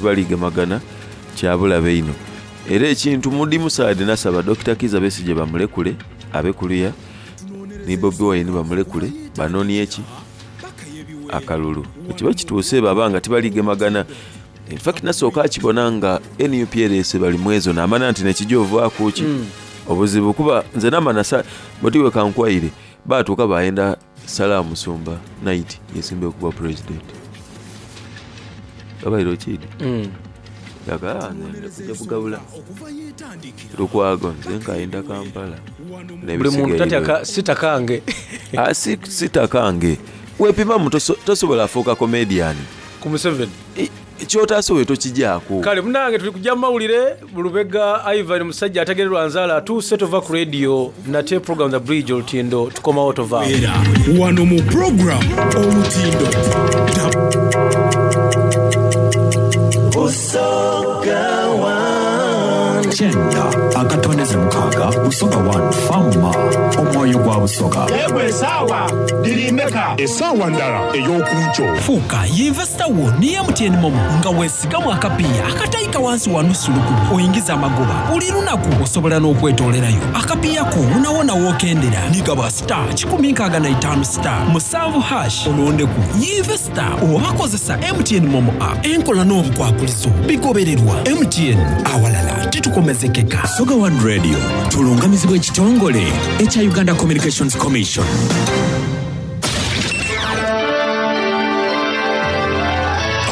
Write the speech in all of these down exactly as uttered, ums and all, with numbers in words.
Tibaligemagana kyabulabe ino. Era ekintu mudi musaade nasaba Dokita Kizza Besigye bamulekule abe kuliya ni Bobi Wine bamulekule banoonie eki akalulu ekiba kituuse baba nga tibaligemagana. In fact nasooka akibona nga N U P L S bali mwezo namana nti nekijja ovaaku ki Mm. obuzibu kuba nze namana sa boti we kankwaire batuuka bayenda Salah Musumba night yesimbe kuba president abaire okidi Mm. Yaga, nze kujja kugabula Lukwago nze nkayenda Kampala. Buli muntu tatya ka-, sita kange. Ah, si-, sita kange. Weepima mu toso-, tosobola afuuka comedian. Ku Museveni. I-, kyotasobola tokigyako. Kale munange tuli kujja mu mawulire Lubega Ivan musajja ategererwa nzaala atuuse tova ku radio nate program The Bridge Olutindo tukomawo tova. Era wano mu program Olutindo. Busoga One. Kyenda akatondeze mukaaga Busoga One Fama omwoyo gwa Busoga. Yegwe essaawa dirimeka. Essaawa ndala ey'okunkyo. Fuuka yinvesita wo ne M T N MoMo nga weesigamu akapiiya akatayika wansi wa nusu lukumi oyingiza amagoba buli lunaku osobola n'okwetoolerayo. Akapiiya ko wonawona w'okendera nigaba star kikumi nkaaga na itaano star musanvu hash olondeku yinvesita oba kozesa M T N MoMo app. Enkola n'obukwakulizo bigobererwa M T N awalala titukomezekeka. Busoga One Radio tulungamizibwa ekitongole ekya Uganda Communications Commission.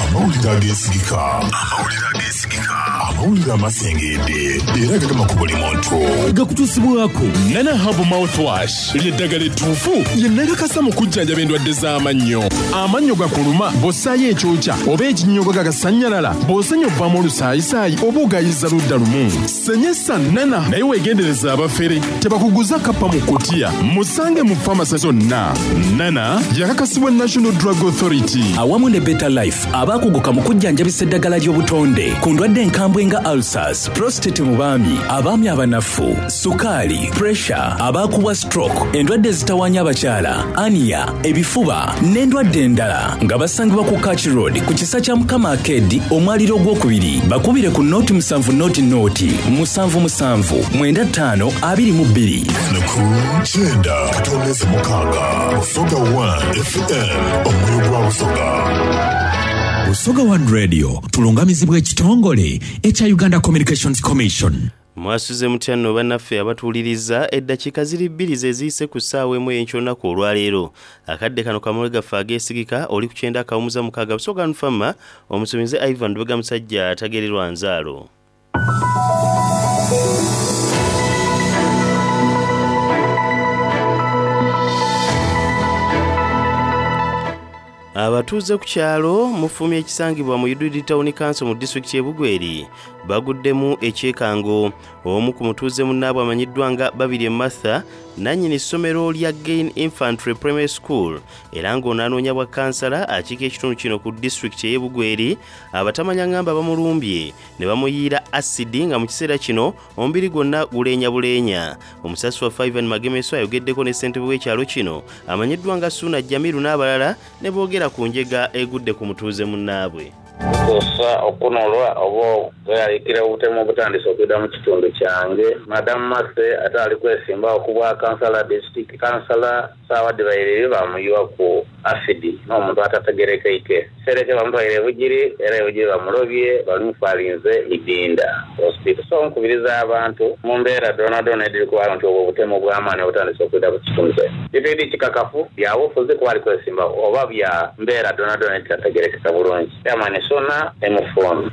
Amawulire ageesigika. Amawulire ageesigika. Amawulire amasengedde era gagema ku buli muntu. Gakutuusibwako Nana Herbal Mouthwash ly'eddagala ettuufu lye nakakasa mu kujjanjaba endwadde z'amannyo. Amannyo gakuluma bw'ossaayo ekyokya oba ekinnyogo gagasannyalala bw'osenya ovaamu olusaayisaayi oba ogayiza ludda lumu. Senyesa Nana naye weegendereza abafere tebakuguza kappa mu kutiya. Musange mu famasi zonna. Nana yakakasibwa National Drug Authority. Awamu ne Better Life abakuguka mu kujjanjabisa eddagala ly'obutonde ku ndwadde enkambwe nga ulcers, prostate mu baami, abaami abanafu, sukaali, pressure, abaakubwa stroke, endwadde ezitawaanya abakyala, ania, ebifuba n'endwadde endala nga basangibwa ku Kach Road ku kisa kya Mukama Arcade omwaliro ogwokubiri. Bakubire ku noti musanvu noti noti musanvu musanvu mwenda ttaano abiri mu bbiri. Ku kyenda katondeze mukaaga Busoga One F M omwoyo gwa Busoga. Busoga One Radio tulungamizibwa ekitongole ekya Uganda Communications Commission. Mwasuze mutya nno bannaffe abatuwuliriza, eddakiika ziri bbiri ze ziyise ku ssaawa emu ey'enkya olunaku olwaleero. Akadde kano kamule gaffe ageesigika oli ku kyenda akawumuza mukaaga Busoga One Fama, omusomi Ivan Lubega musajja atagererwa nzaalo. Abatuuze ku kyalo mufumye ekisangibwa mu Idudi Town Council mu disitulikiti y'e Bugweri baguddemu ekyekango. Omu ku mutuuze munnaabwe amanyiddwa nga Babirye Martha, nannyini ssomero lya Gain Infantry Primary School, era ng'ono anoonya bwa kansala akiika ekitundu kino ku disitulikiti y'e Bugweri, abatamanya ngamba bamulumbye ne bamuyiira asidi nga mu kiseera kino omubiri gwonna guleenya buleenya. Omusasi wa Ivan Magemeso ayogeddeko ne ssentebe w'ekyalo kino amanyiddwa nga Suuna Jamiru n'abalala ne boogera ku njega egudde ku mutuuze munnaabwe. Okusa okunolwa oba okweraliikirira obutemu obutandise okudda mu kitundu kyange. Madamu Mase ate ali kwesimbawo ku bwa kansala district kansala Saawadde Bairere bamuyiwa ku asidi n'omuntu atategerekeike. Kiseera ekyo bamutwaire e Bugiri, era e Bugiri bamulobye, balimutwalinze Idinda hospital. So nkubiriza abantu mu mbeera doonadoona ediri kubaawo nti obwo obutemu obw'amaanyi obutandise okudda ku kitundu kyange. Ebyo kikakafu bya bufuzi kuba ali kwesimbawo oba bya mbeera doonadoona editategerekeka bulungi. Chairman Suna emufuuni.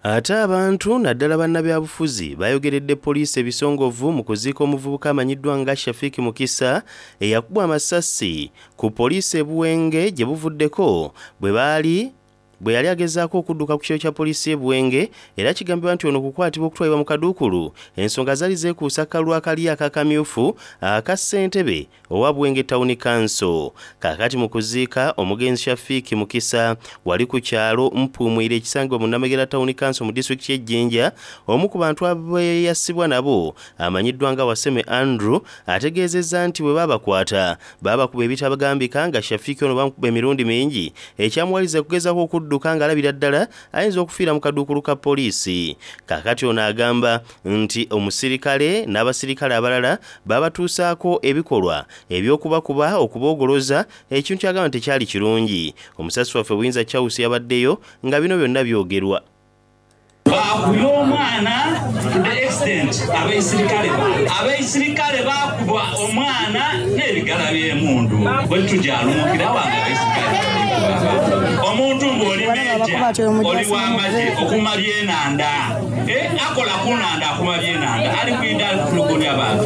Ate abantu naddala bannabyabufuzi bayogeredde poliisi ebisongovu mu kuziika omuvubuka amanyiddwa nga Shafiki Mukisa eyakubwa amasasi ku poliisi e Buwenge gye buvuddeko bwe baali bwe yali agezaako okudduka ku kiro kya poliisi e Buwenge, era kigambibwa nti ono okukwatibwa okutwalibwa mu kaduukulu ensonga zaali zeekuusa akalulu akali akakamyufu aka ssentebe owa Buwenge Town Council. Kaakati mu kuziika omugenzi Shafiki Mukisa wali ku kyalo Mpuumwire ekisangibwa mu Namegera Town Council mu disitulikiti y'e Jinja, omu ku bantu abeeyasibwa nabo amanyiddwa nga Waseme Andrew ategeezezza nti bwe baabakwata baabakuba ebitabagambika nga Shafiki ono bamukuba emirundi mingi ekyamuwaliriza okugezaako okudduka okudduka ng'alabira ddala ayinza okufiira mu kaduukulu ka poliisi. Kaakati ono agamba nti omusirikale n'abasirikale abalala babatuusaako ebikolwa eby'okubakuba, okuboogoloza, ekintu ky'agamba nti tekyali kirungi. Omusasi waffe Buyinza Charles yabaddeyo nga bino byonna byogerwa. Bakubye omwana to the extent abaisirikale abaisirikale bakuba omwana n'ebigala by'emundu bwe tujalumukira wange abaisirikale omuntu ng'oli meja oli w'amagye okuma byenanda akola ku nanda akuma byenanda ali kwida ali kutulugunya abantu.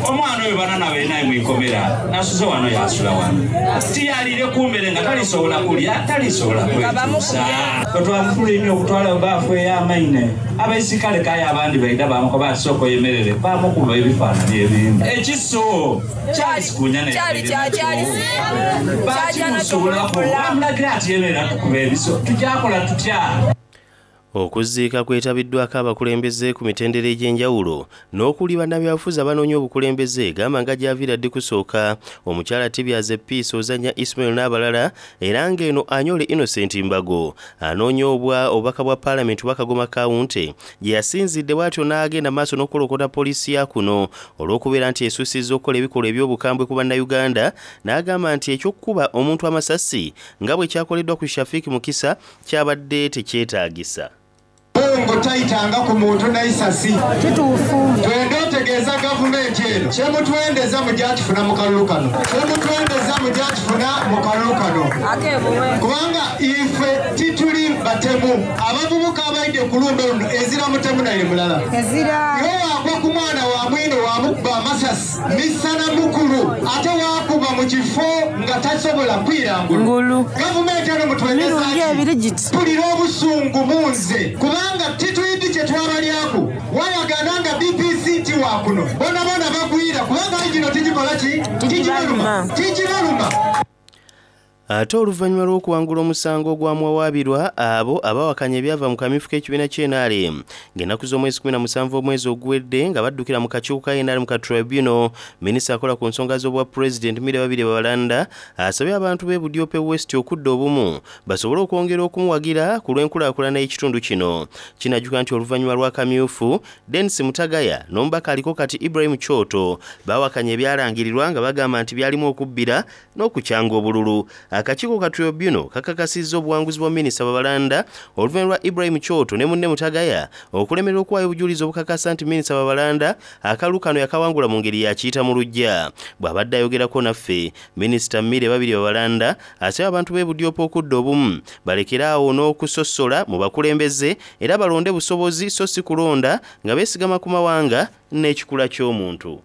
Omwana oyo banana benaye mwikomera nasuze wano yasula wano tiyalire kumbere nga talisobola kulya talisobola kwetuusa. Twamufulumya okutwala baafu ey'amaine abaisirikale kaya abandi baida bamukoba asooka oyemerere bamukuba ebifaananyi ebindi ekiso kyali sikunya bakimusuulako bamulagira ati yemerera tukuba ebiso tujakola tutya. Okuziika kwetabiddwako abakulembeze ku mitendera egy'enjawulo n'okuli bannabyabufuzi abanoonya obukulembeze gamba nga Javiira Kusooka, omukyala Tibyaze Peace Ozanya Ismail n'abalala, era ng'eno Anyole Innocent Mbago anoonya obwa obubaka bwa paalamenti oba Kagoma County gye yasinzidde bw'atyo n'agenda maaso n'okukolokota poliisi ya kuno olw'okubeera nti esussizza okukola ebikolwa eby'obukambwe ku bannayuganda, n'agamba nti eky'okukuba omuntu amasasi nga bwe kyakoleddwa ku Shafik Mukisa kyabadde tekyetaagisa. Bongo tayitanga ku muntu n'eisasi. Kituufu. Twende otegeeza gavumenti eno kyemutwendeza mujja kifuna mu kalulu kano, kyemutwendeza mujja kifuna mu kalulu kano, kubanga ife tituli batemu. Abavubuka abaidde ku lumbe luno ezira mutemu naye mulala. Iwe wagwa ku mwana wa mwino wamukuba amasasi misana mukulu ate wakuba mu kifo nga tasobola kwirangulu. Gavumenti eno mutwendeza ki? Mpulira obusungu mu nze kubanga tituyidde kye twabalyaku wayagana nga B P C ti wakuno bona bona bagwira kubanga gino tigikola ki tigibaluma tigibaluma. Ate oluvannyuma lw'okuwangula omusango ogwamuwawaabirwa abo abawakanya ebyava mu kamyufu k'ekibiina ky'N R M ng'ennaku z'omwezi kkumi na musanvu omwezi oguwedde nga baddukira mu kakiiko ka N R M ka tribunal, minisita akola ku nsonga z'obwa pulezidenti Milly Babirye Babalanda asabye abantu b'e Budiope West okudda obumu basobole okwongera okumuwagira ku lw'enkulaakulana y'ekitundu kino. Kinajjuka nti oluvannyuma lwa kamyufu, Denis Mutagaya n'omubaka aliko kati Ibrahim Kyoto baawakanya ebyalangirirwa nga bagamba nti byalimu okubbira n'okukyanga obululu. Akakiiko ka tribunal kakakasizza obuwanguzi bwa minisita Babalanda oluvannyuma lwa Ibrahim Kyoto ne munne Mutagaya okulemererwa okuwaayo obujulizi obukakasa nti minisita Babalanda akalulu kano yakawangula mu ngeri ya kiyita mu luggya. Bw'abadde ayogerako naffe, minisita Milly Babirye Babalanda asabye abantu b'e Budiope okudda obumu balekere awo n'okusosola mu bakulembeze era balonde busobozi so si kulonda nga beesigama ku mawanga n'ekikula ky'omuntu.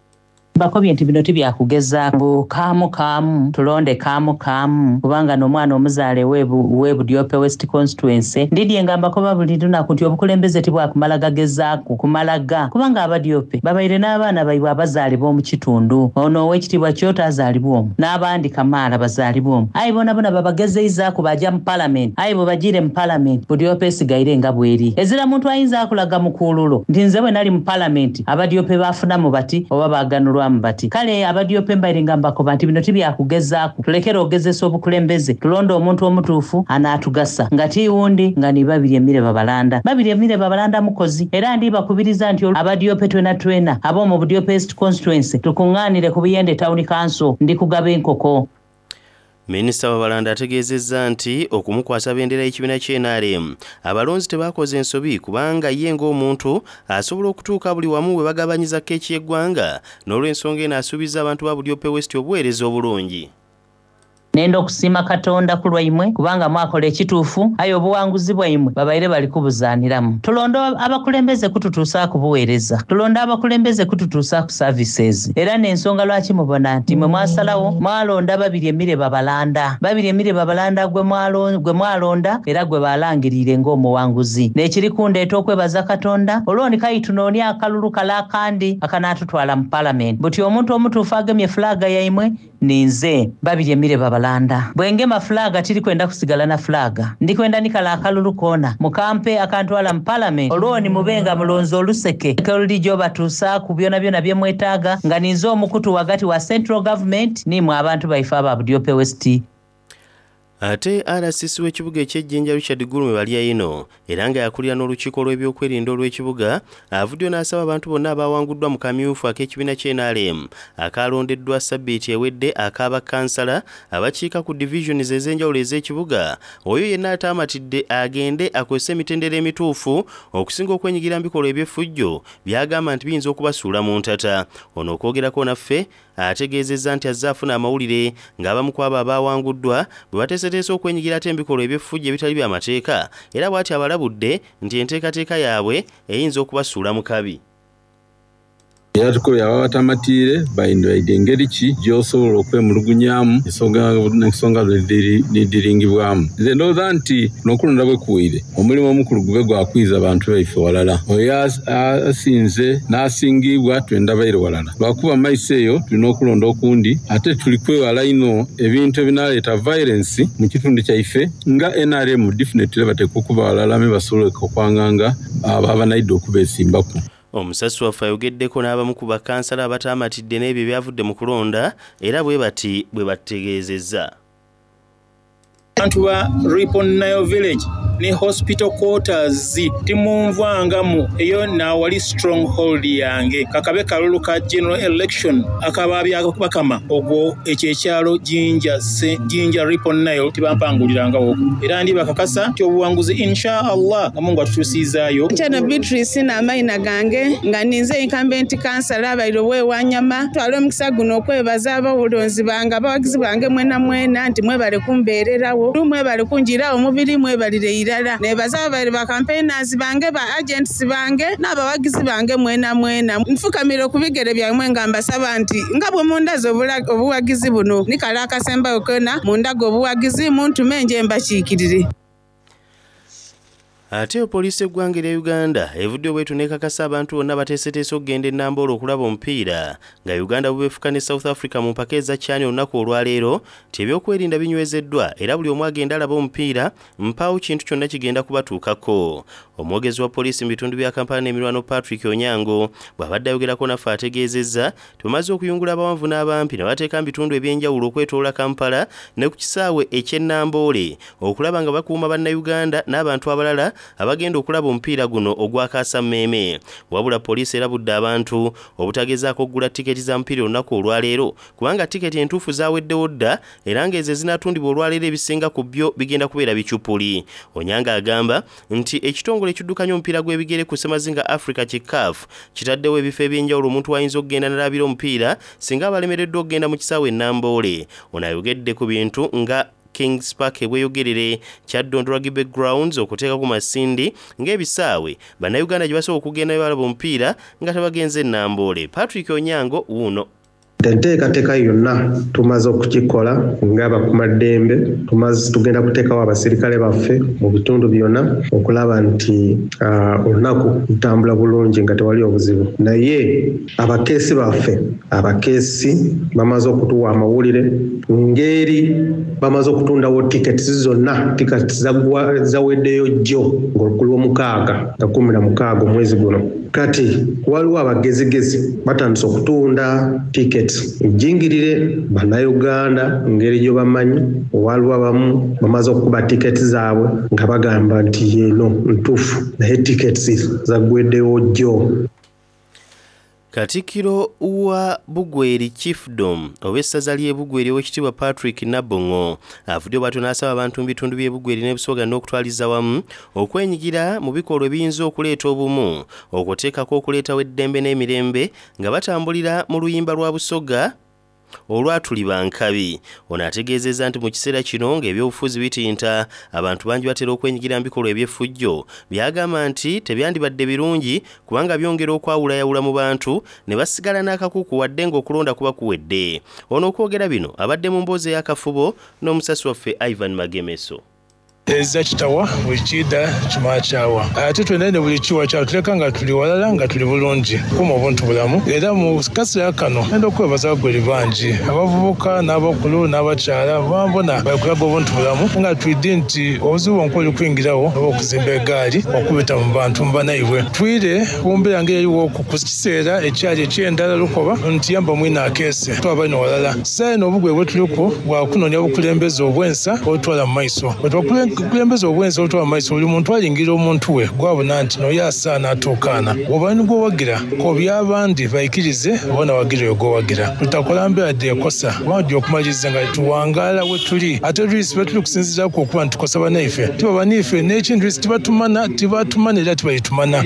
Bakobye nti bino tibyakugezaako mbu kaamu kaamu tulonde kaamu kaamu kubanga n'omwana omuzaale w'e Budiope West constituency ndidye nga mbakoba buli lunaku nti obukulembeze tibwakumala gagezaako kumala ga kubanga Abadiope babaire n'abaana baibwe abazaalibwa omu kitundu ono ow'ekitiibwa Kyoto azaalibwa omu n'abandi kamaala bazaalibwa omu aye bona bona babagezeizaako bajja mu paalamenti aye bwe bagiire mu paalamenti Budiope esigaire nga bweri. Ezira muntu ayinza akulaga mukuululo nti nze bwe nali mu paalamenti Abadiope baafunamu bati oba baaganulwamu bati. Kale Abadiope mbaire nga mbakoba nti bino tibyakugezaako tulekere ogezesa obukulembeze tulonde omuntu omutuufu anaatugasa nga tiwundi nga ni Babirye Milly Babalanda. Babirye Milly Babalanda mukozi era ndibakubiriza nti Abadiope twena twena ab'omu Budiope East constituency tukuŋŋaanire ku Buyende Town Council ndi kugaba enkoko. Minisita Babalanda ategeezezza nti okumukwasa bendera y'ekibiina ky'N R M abalonzi tebakoze ensobi kubanga ye ng'omuntu asobola okutuuka buli wamu we bagabanyiza keeki y'eggwanga n'olw'ensonga eno asuubiza abantu ba Budiope West obuweereza obulungi. Nenda okusiima Katonda ku lwaimwe kubanga mwakola ekituufu aye obuwanguzi bwaimwe babaire bali kubuzaaniramu. Tulonda abakulembeze kututuusa kubuweereza, tulonda abakulembeze kututuusa ku services era n'ensonga lwaki mubona nti mwe mwasalawo mwalonda Babirye Milly Babalanda. Babirye Milly Babalanda gwe mwalonda era gwe balangiriire ng'omuwanguzi. N'ekiri kundeeta okwebaza Katonda olwoni kayi tunoonia akalulu kala akandi akanaatutwala mu paalamenti. Buti omuntu omutuufu agemye fulaaga yaimwe ninze Babirye Milly Babalanda. Bwengema fulaga tiri kwenda kusigala na fulaga ndikwenda nikala akalulu kona mukampe akantwala mu parliament olwoni mubenga mulonzo oluseke olulijjo batuusa ku byona byona bye mwetaaga nga ninze omukutu wagati wa central government nimwe abantu baife aba Budiope West. Ate R C C w'ekibuga eky'Ejjinja Richard Gulume Balyaino era nga yakulira n'olukiiko lw'ebyokwerinda olw'ekibuga avuddeyo n'asaba abantu bonna abawanguddwa mu kamyufu ak'ekibiina ky'N R M akalondeddwa ssabbiiti ewedde ak'abakansala abakiika ku divisions ez'enjawulo ez'ekibuga oyo yenna ataamatidde agende akozese emitendera emituufu okusinga okwenyigira mu bikolwa eby'effujjo by'agamba nti biyinza okubasuula mu ntata. Ono okwogerako naffe ategeezezza nti azze afuna amawulire ng'abamu ku abo abawanguddwa bwe bateeseteese okwenyigira ate ebikolwa eby'effujjo ebitali bya mateeka era bw'ati abalabudde nti enteekateeka yaabwe eyinza okubasuula mu kabi. Era tukobe aba batamatiire baide engeri ki gy'osobola okwemulugunyamu ensonga nediringibwamu. Nze ndowooza nti n'okulonda bwe kuwire omulimu omukulu gube gwakwiza abantu baife walala oyo asinze n'asingibwa twenda baire walala lwakuba maiso eyo tulina okulonda okundi ate tuli kwewala ino ebintu ebinaleeta violence mu kitundu kyaife nga N R M definitely bateekwa okuba walala me basobole okwanganga abo abanaidde okubeesimbaku. Omusasi waffe ayogeddeko n'abamu ku bakansala abataamatidde n'ebyo ebyavudde mu kulonda era bwe bati bwe bategeezezza. Abantu ba Ripon Nile Village ne hospital quarters timunvangamu eyo nawali stronghold yange kakabe kalulu ka general election akababya bakama ogwo ekyo ekyalo Jinja Jinja Ripon Nile tibampanguliranga okwo era ndi bakakasa nti obuwanguzi insha Allah nga Mungu atutuusizaayo. Nkyano Beatrice n'amayina gange nga ninze incumbent councillor abaire Wanyama twala omukisa guno okwebaza abawulonzi bange abawagizi bange mwena mwena nti mwebale kumbeererawo mwebale kunjirawo omubiri mwebalire irala nebaza abaire ba campaigners bange ba agents bange n'abawagizi bange mwena mwena nfukamira okubigere byammwe nga mbasaba nti nga bwe mundaze obuwagizi buno nikala akasembayo kona mundaga obuwagizi muntume nje mbakiikirire. Ate poliisi eggwanga erya Uganda evudde obwetu n'ekakasa abantu bonna bateeseteese okugenda e Namboole okulaba omupiira nga Uganda bubeefuka ne South Africa mu mpaka eza CHAN olunaku olwaleero nti ebyokwerinda binywezeddwa era buli omu agenda alaba omupiira mpaawo kintu kyonna kigenda kubatuukako. Omwogezi wa poliisi mu bitundu bya Kampala n'emirwano Patrick Onyango bw'abadde ayogerako naffe ategeezezza tebamaze okuyungula abawanvu n'abampi ne bateeka mu bitundu eby'enjawulo okwetoloola Kampala ne ku kisaawe eky'e Namboole okulaba nga bakuuma bannayuganda n'abantu abalala abagenda okulaba omupiira guno ogwakaasa mmeeme. Wabula poliisi erabudde abantu obutagezaako okugula tiketi za mupiira olunaku olwaleero kubanga tiketi entuufu zaaweddewo dda era ng'ezo ezinaatundibwa olwaleero ebisinga ku byo bigenda kubeera bicupuli. Onyango agamba nti ekitongole ekiddukanya omupiira gw'ebigere ku Ssemazinga Africa ki CAF kitaddewo ebifo eby'enjawulo omuntu w'ayinza okugenda n'alabira omupiira singa abalemereddwa okugenda mu kisaawe e Namboole. Ono ayogedde ku bintu nga Kings Park ebweyogerere Kyaddondo Rugby Grounds okuteeka ku Masindi ng'ebisaawe bannayuganda gye basobola okugenda ne balaba omupiira nga tebagenze Namboole. Patrick Onyango wuuno. Enteekateeka yonna tumaze okukikola ng'abakuumaddembe, tumaze tugenda kuteekawo abasirikale baffe mu bitundu byonna okulaba nti olunaku lutambula bulungi nga tewali obuzibu. Naye abakeesi baffe, abakeesi bamaze okutuwa amawulire ngeri bamaze okutundawo tickets zonna, tickets zaweddeyo jjo ng'olwomukaaga nga kkumi na mukaaga omwezi guno. Kati waliwo abagezigezi batandise okutunda tickets ejingirire bannayuganda ngeri gye bamanyi, waliwo abamu bamaze okukuba tickets zaabwe nga bagamba nti yeeno ntuufu naye tickets zaggweddewo jjo. Katikkiro wa Bugweri Chiefdom oba essaza ly'e Bugweri Oweekitiibwa Patrick Nabongo avuddeyo bw'atyo n'asaba abantu mu bitundu by'e Bugweri n'e Busoga n'okutwaliza wamu okwenyigira mu bikolwa ebiyinza okuleeta obumu, okuteekako okuleetawo eddembe n'emirembe nga batambulira mu luyimba lwa Busoga olwatuliba nkabi. Ono ategeezezza nti mu kiseera kino ng'ebyobufuzi bitinta, abantu bangi batera okwenyigira mu bikolwa eby'effujjo by'agamba nti tebyandibadde birungi kubanga byongera okwawulayawula mu bantu ne basigala n'akakuku wadde ng'okulonda kuba kuwedde. Ono okwogera bino abadde mu mboozi ey'akafubo n'omusasi waffe Ivan Magemeso. Eza kitawa buli kiida kimakyawa ate twenda ne buli kiwa kyatuleka nga tuli walala nga tuli bulungi kuma obuntu bulamu. Era mu kaseera kano enda okwebaza gweri bangi abavubuka n'abakulu n'abakyala bambona bakulaga obuntu bulamu nga twidi nti obuzibu onkoli kwingirawo oba okuzimba egaali okubita mu bantu mubanaibwe twire kumbeera ng'eriwo ku kiseera ekyali eky'endala lukoba nti yamba mwina akeese twaba ino walala saina obugwe bwe tuliku bwakunoonya obukulembeze obwensa obutwala mu maiso bwe obwensa obutwala mu maiso buli muntu alingira omuntu we gwabona nti noyo asaana atuukaana oba nigwowagira ko byabandi baikirize bona wagira oyo gwowagira tutakola mbeera dyekosa kubanga gyokumaliriza nga tuwangaala we tuli ate lwisi bwe tuli kusinziirako okuba nti tukosa banaife tiba banaife n'ekindi lwisi tibatumana tibatumana era tibalitumana.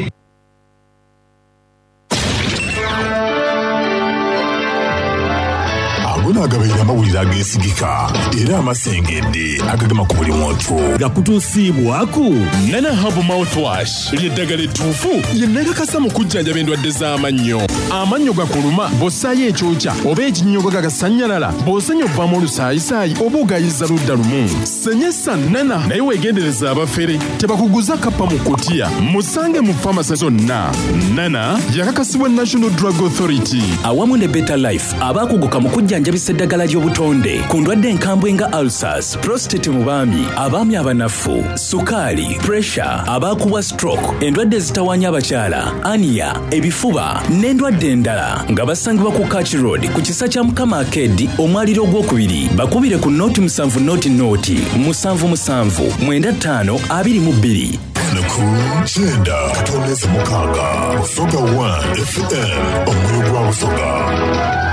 Agabaire amawulire ageesigika era amasengedde agagema ku buli muntu gakutuusiibwaku Nana Herbal Mouthwash ly'eddagala ettuufu lye nakakasa mu kujjanjaba endwadde z'amannyo. Amannyo gakuluma bw'ossaayo ekyokya oba ekinnyogo gagasannyalala bw'osenya ovaamu olusaayisaayi oba ogayiza ludda lumu. Senyesa Nana naye weegendereza abafere tebakuguza kappa mu kutiya. Musange mu famasi zonna. Nana yakakasibwa National Drug Authority awamu ne Better Life abakuguka mu kujjanjabisa eddagala ly'obutonde ku ndwadde enkambwe nga ulcers, prostate mu baami, abaami abanafu, sukaali, pressure, abaakubwa stroke, endwadde ezitawaanya abakyala, ania, ebifuba n'endwadde endala nga basangibwa ku Kachi Road ku kisa kya Mukama Arcade omwaliro ogwokubiri. Bakubire ku noti musanvu noti noti musanvu musanvu mwenda ttaano abiri mu bbiri. Ku kyenda katondeze mukaaga Busoga one F M omwoyo gwa Busoga.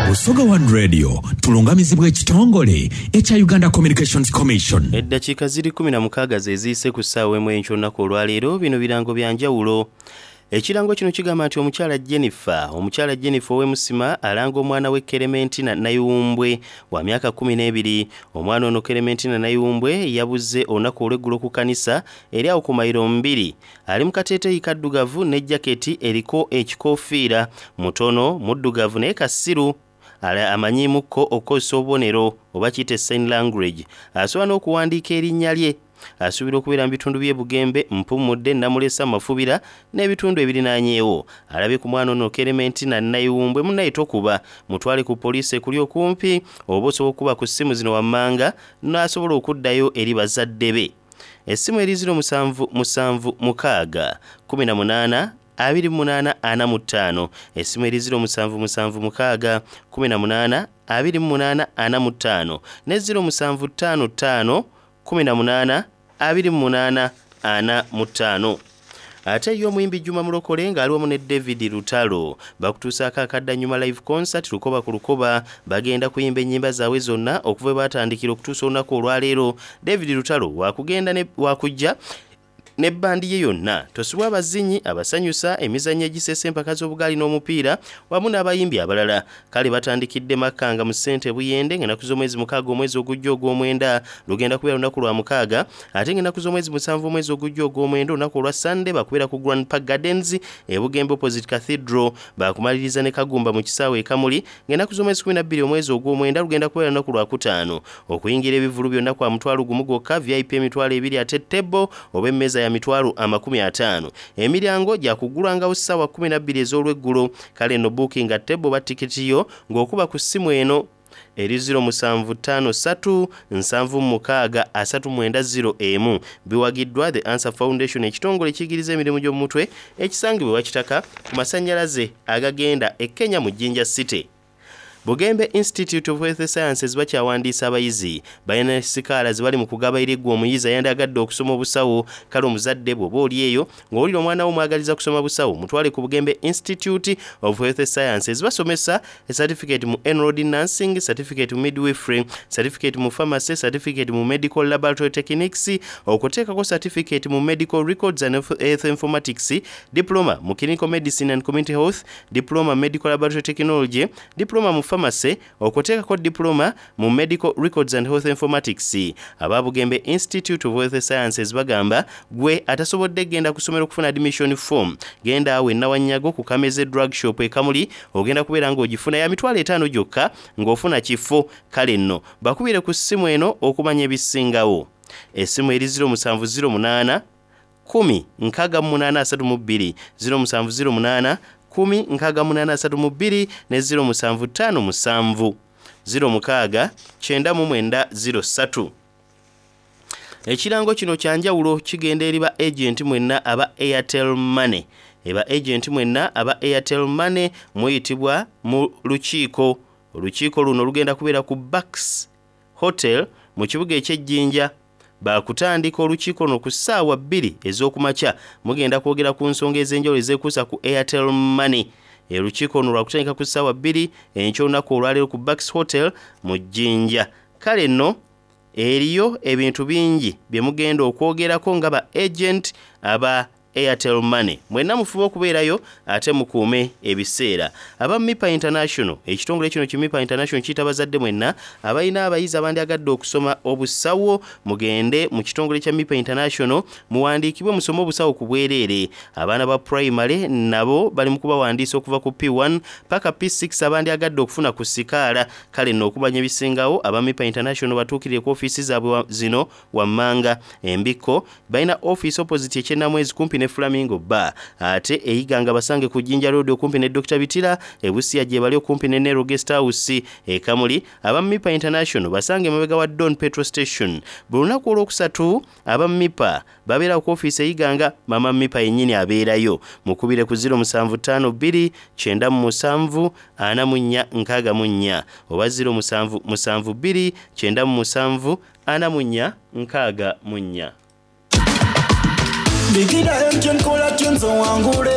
Busoga One Radio tulungamizibwa ekitongole ekya Uganda Communications Commission. Eddakiika ziri kumi na mukaaga ze ziyise ku ssaawa emu enkya olunaku olwaleero. Bino birango bya njawulo. Ekirango kino kigamba nti omukyala Jennifer, omukyala Jennifer ow'emusima alanga omwana we Clementina Nayiwumbwe wa myaka kumi n'ebiri. Omwana ono Clementina Nayiwumbwe yabuze olunaku olw'eggulo ku kkanisa eri awo ku mayiro mbiri. Ali mu kateeteeyi kaddugavu ne jaketi eriko ekikoofiira, mutono, muddugavu naye kasiru. Amanyiimukko okukozesa obubonero oba kiyite sign language. Asobola n'okuwandiika erinnya lye. Asuubira okubeera mu bitundu by'e Bugembe, Mpumudde, Namulesa, Mafubira n'ebitundu ebirinaanyeewo. Alabye ku mwana ono Clementina Nayiwumbwe munnaye tokuba, mutwale ku poliisi ekuli okumpi oba osobola okuba ku ssimu zino wammanga n'asobola okuddayo eri bazadde be. Essimu eri ziro musanvu musanvu mukaaga kumi na munaana abiri mu munaana ana mu ttaano. Essimu eri ziro musanvu musanvu mukaaga kumi na munaana abiri mu munaana ana mu ttaano ne ziro musanvu ttaano ttaano kumi na munaana abiri mu munaana ana mu ttaano. Ate ye omuyimbi Juma Mulokole ng'ali wamu ne David Lutalo bakutuusaako akaddannyuma live concert lukoba ku lukoba. Bagenda kuyimba ennyimba zaabwe zonna okuva we baatandikira okutuusa olunaku olwaleero. David Lutalo wakugenda ne wakujja ne bbandi ye yonna. Tosubwa abazinyi abasanyusa, emizannyo egisesa, empaka z'obugaali n'omupiira wamu n'abayimbi abalala. Kale batandikidde Makanga mu ssente Buyende ng'ennaku z'omwezi mukaaga omwezi ogujja ogw'omwenda lugenda kubeera lunaku lwa mukaaga, ate ng'ennaku z'omwezi musanvu omwezi ogujja ogw'omwenda olunaku olwa Sunday bakubeera ku Grand Park Gardens e Bugembe opposite Cathedral. Bakumaliriza ne Kagumba mu kisaawe e Kamuli ng'ennaku z'omwezi kumi na bbiri omwezi ogw'omwenda lugenda kubeera lunaku lwa kutaano. Okuyingira ebivvulu byonna kwa mutwalo gumu gwokka, V I P emitwalo ebiri ate table oba emmeeza ya mitwalo amakumi ataano. Emiryango gyakuggulwangawo ssaawa kkumi na bbiri ez'olweggulo. Kale nno bookinga table oba tikiti yo ng'okuba ku ssimu eno eri ziro musanvu ttaano ssatu nsanvu mukaaga asatu mwenda ziro emu. Biwagiddwa The Answer Foundation, ekitongole ekiyigiriza emirimu gy'omutwe ekisangibwa ewa Kitaka ku masannyalaze agagenda e Kenya mu Jinja City. Bugembe Institute of Health Sciences bakyawandiisa abayizi balina sikaala ze bali mu kugaba eri ggwe omuyizi ayandagadde okusoma obusawo. Kale omuzadde bw'oba oli eyo ng'owulira omwana wo omwagaliza kusoma busawo, mutwale ku Bugembe Institute of Health Sciences. Basomesa certificate mu enrolled nursing, certificate mu midwifery, certificate mu pharmacy, certificate mu medical laboratory techniques, okuteekako certificate mu medical records and health informatics, diploma mu clinical medicine and community health, diploma medical laboratory technology, diploma mu pharmacy, okuteekako diploma mu medical records and health informatics. Aba Bugembe Institute of Health Sciences bagamba gwe atasobodde genda kusomera okufuna admission form, genda awo e Nawanyago ku Kameze Drug Shop e Kamuli, ogenda kubeera ng'ogifuna ya mitwalo etaano gyokka ng'ofuna kifo. Kale nno bakubire ku ssimu eno okumanya ebisingawo. Essimu eri ziro musanvu ziro munaana kumi nkaaga mu munaana asatu mu bbiri, ziro musanvu ziro munaana kumi nkaaga munaana asatu mu bbiri ne ziro musanvu ttaano musanvu ziro mukaaga kyenda mu mwenda ziro ssatu. Ekirango kino kya njawulo, kigenda eri ba agent mwenna aba Airtel Money. Eba agent mwenna aba Airtel Money muyitibwa mu lukiiko. Olukiiko luno lugenda kubeera ku Bucks Hotel mu kibuga eky'Ejjinja. Baakutandika olukiiko luno ku ssaawa bbiri ez'okumakya. Mugenda kwogera ku nsonga ez'enjawulo ezeekuusa ku Airtel Money. Olukiiko luno lwakutandika ku ssaawa bbiri enkya olunaku olwaleero ku Bucks Hotel mu Jjinja. Kale nno eriyo ebintu bingi bye mugenda okwogerako nga ba agent aba Airtel Money. Mwenna mufube okubeerayo ate mukuume ebiseera. Aba Mipa International, ekitongole kino ki Mipa International kiyita bazadde mwenna abalina abayizi abandyagadde okusoma obusawo, mugende mu kitongole kya Mipa International muwandiikibwe musome obusawo ku bwereere. Abaana ba primary nabo bali mu kubawandiisa okuva ku P one paka P six abandyagadde okufuna ku sikaala. Kale nno okumanya ebisingawo aba Mipa International batuukirire ku ofiisi zaabwe zino wammanga. Embikko balina ofiisi opposite eky'Ennamwezi kumpi ne Flamingo Bar, ate Eyiganga basange ku Jinja Road okumpi ne Doctor Bitira, Ebusia gye bali okumpi ne Nero Guest House e Kamuli. Aba Mipa International basange emabega wa Don Petrol Station. Buli lunaku olwokusatu aba Mipa babeera ku ofiisi Eyiganga, Mama Mipa yennyini abeerayo. Mukubire ku ziro musanvu ttaano bbiri kyenda mu musanvu ana mu nnya nkaaga mu nnya oba ziro musanvu musanvu bbiri kyenda mu musanvu ana mu nnya nkaaga mu nnya. Bigida M T N Kola Tunes owangule.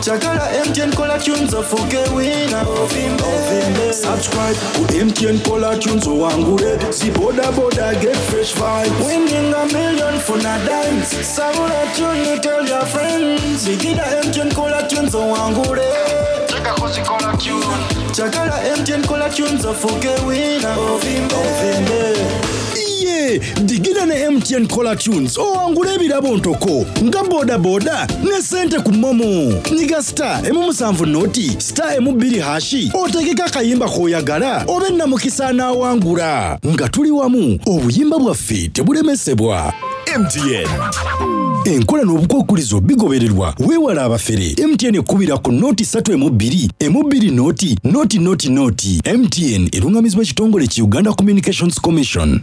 Chakala M T N Kola Tunes ofuke wina. Subscribe ku M T N Kola Tunes owangule. Si boda boda get fresh vibes. Winning a million for na dimes. Sabula tune tell your friends. Bigida M T N Kola Tunes owangule. Chakala M T N Kola Tunes ofuke wina. Ovimbe. Iye, digida ne M T N Kola Tunes owangule ebirabo ntoko nga boda boda ne sente ku momo. Nyiga star emu musanvu noti star emu bbiri hashi otegeka akayimba k'oyagala obe namukisa n'awangula. Nga tuli wamu obuyimba bwaffe tebulemesebwa. M T N. Enkola n'obukwakulizo bigobererwa. Weewala abafere. M T N ekubira ku noti ssatu emu bbiri emu bbiri noti noti noti noti. M T N erungamizibwa ekitongole ki Uganda Communications Commission.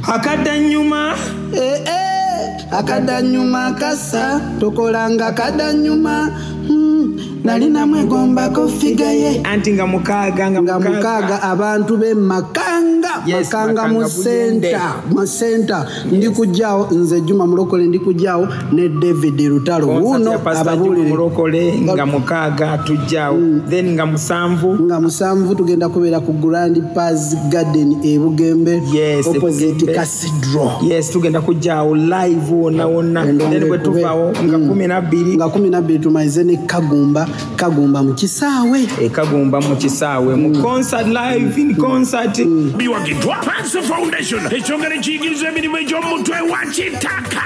Akadanyuma eh eh akadanyuma kasa tokolanga kadanyuma mm, nalina mwegombako figa ye anti nga mukaaga nga mukaaga abantu be Makanga. Yes, Makanga mu center mu center. Yes. Ndi kujjaawo nze Juma Mulokole, ndi kujjaawo ne David Lutalo wuno ababuulire Mulokole nga mukaaga tujjaawo mm. Then nga musanvu nga musanvu tugenda kubeera ku Grand Paz Garden e Bugembe. Yes, opposite Cathedral. Yes, tugenda kujjaawo live wonna wonna. Then bwe tuvaawo nga kumi na bbiri nga kumi na bbiri tumalize ne Kagumba Kagumba mu kisaawe e Kagumba mu kisaawe mu concert live in concert mm. Biwagidwa Panso Foundation ekitongole kiyigiriza emirimu egy'omutwe wa kitaka.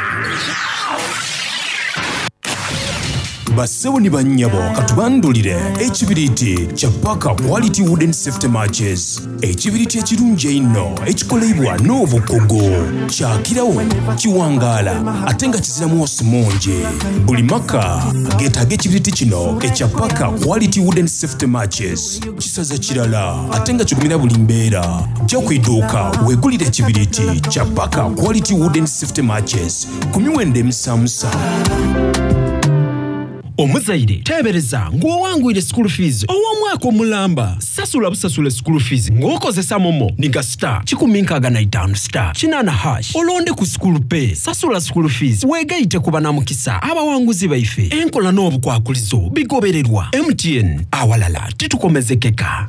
Bassebo ne bannyabo katubandulire ekibiriiti kya Paka Quality Wooden Safety Matches. Ekibiriiti ekirungi ennyo ekikolebwa n'obukugu kyakirawo kiwangaala ate nga kiziramu osimungi. Buli maka geetaaga ekibiriiti kino ekya Paka Quality Wooden Safety Matches. Kisaza kirala ate nga kigumira buli mbeera. Jja ku idduuka weegulire ekibiriiti kya Paka Quality Wooden Safety Matches ku miwendo emisamusa. Omuzaire teebereza ng'owangwire school fees ow'omwaka omulamba. Sasula busasula school fees ng'okozesa momo niga star kikumi nkaaga na itaano star kinaana hash olonde ku school pay. Sasula school fees weegayite ku banamukisa abawanguzi baife. Enkola n'obukwakulizo bigobererwa. M T N awalala titukomezekeka.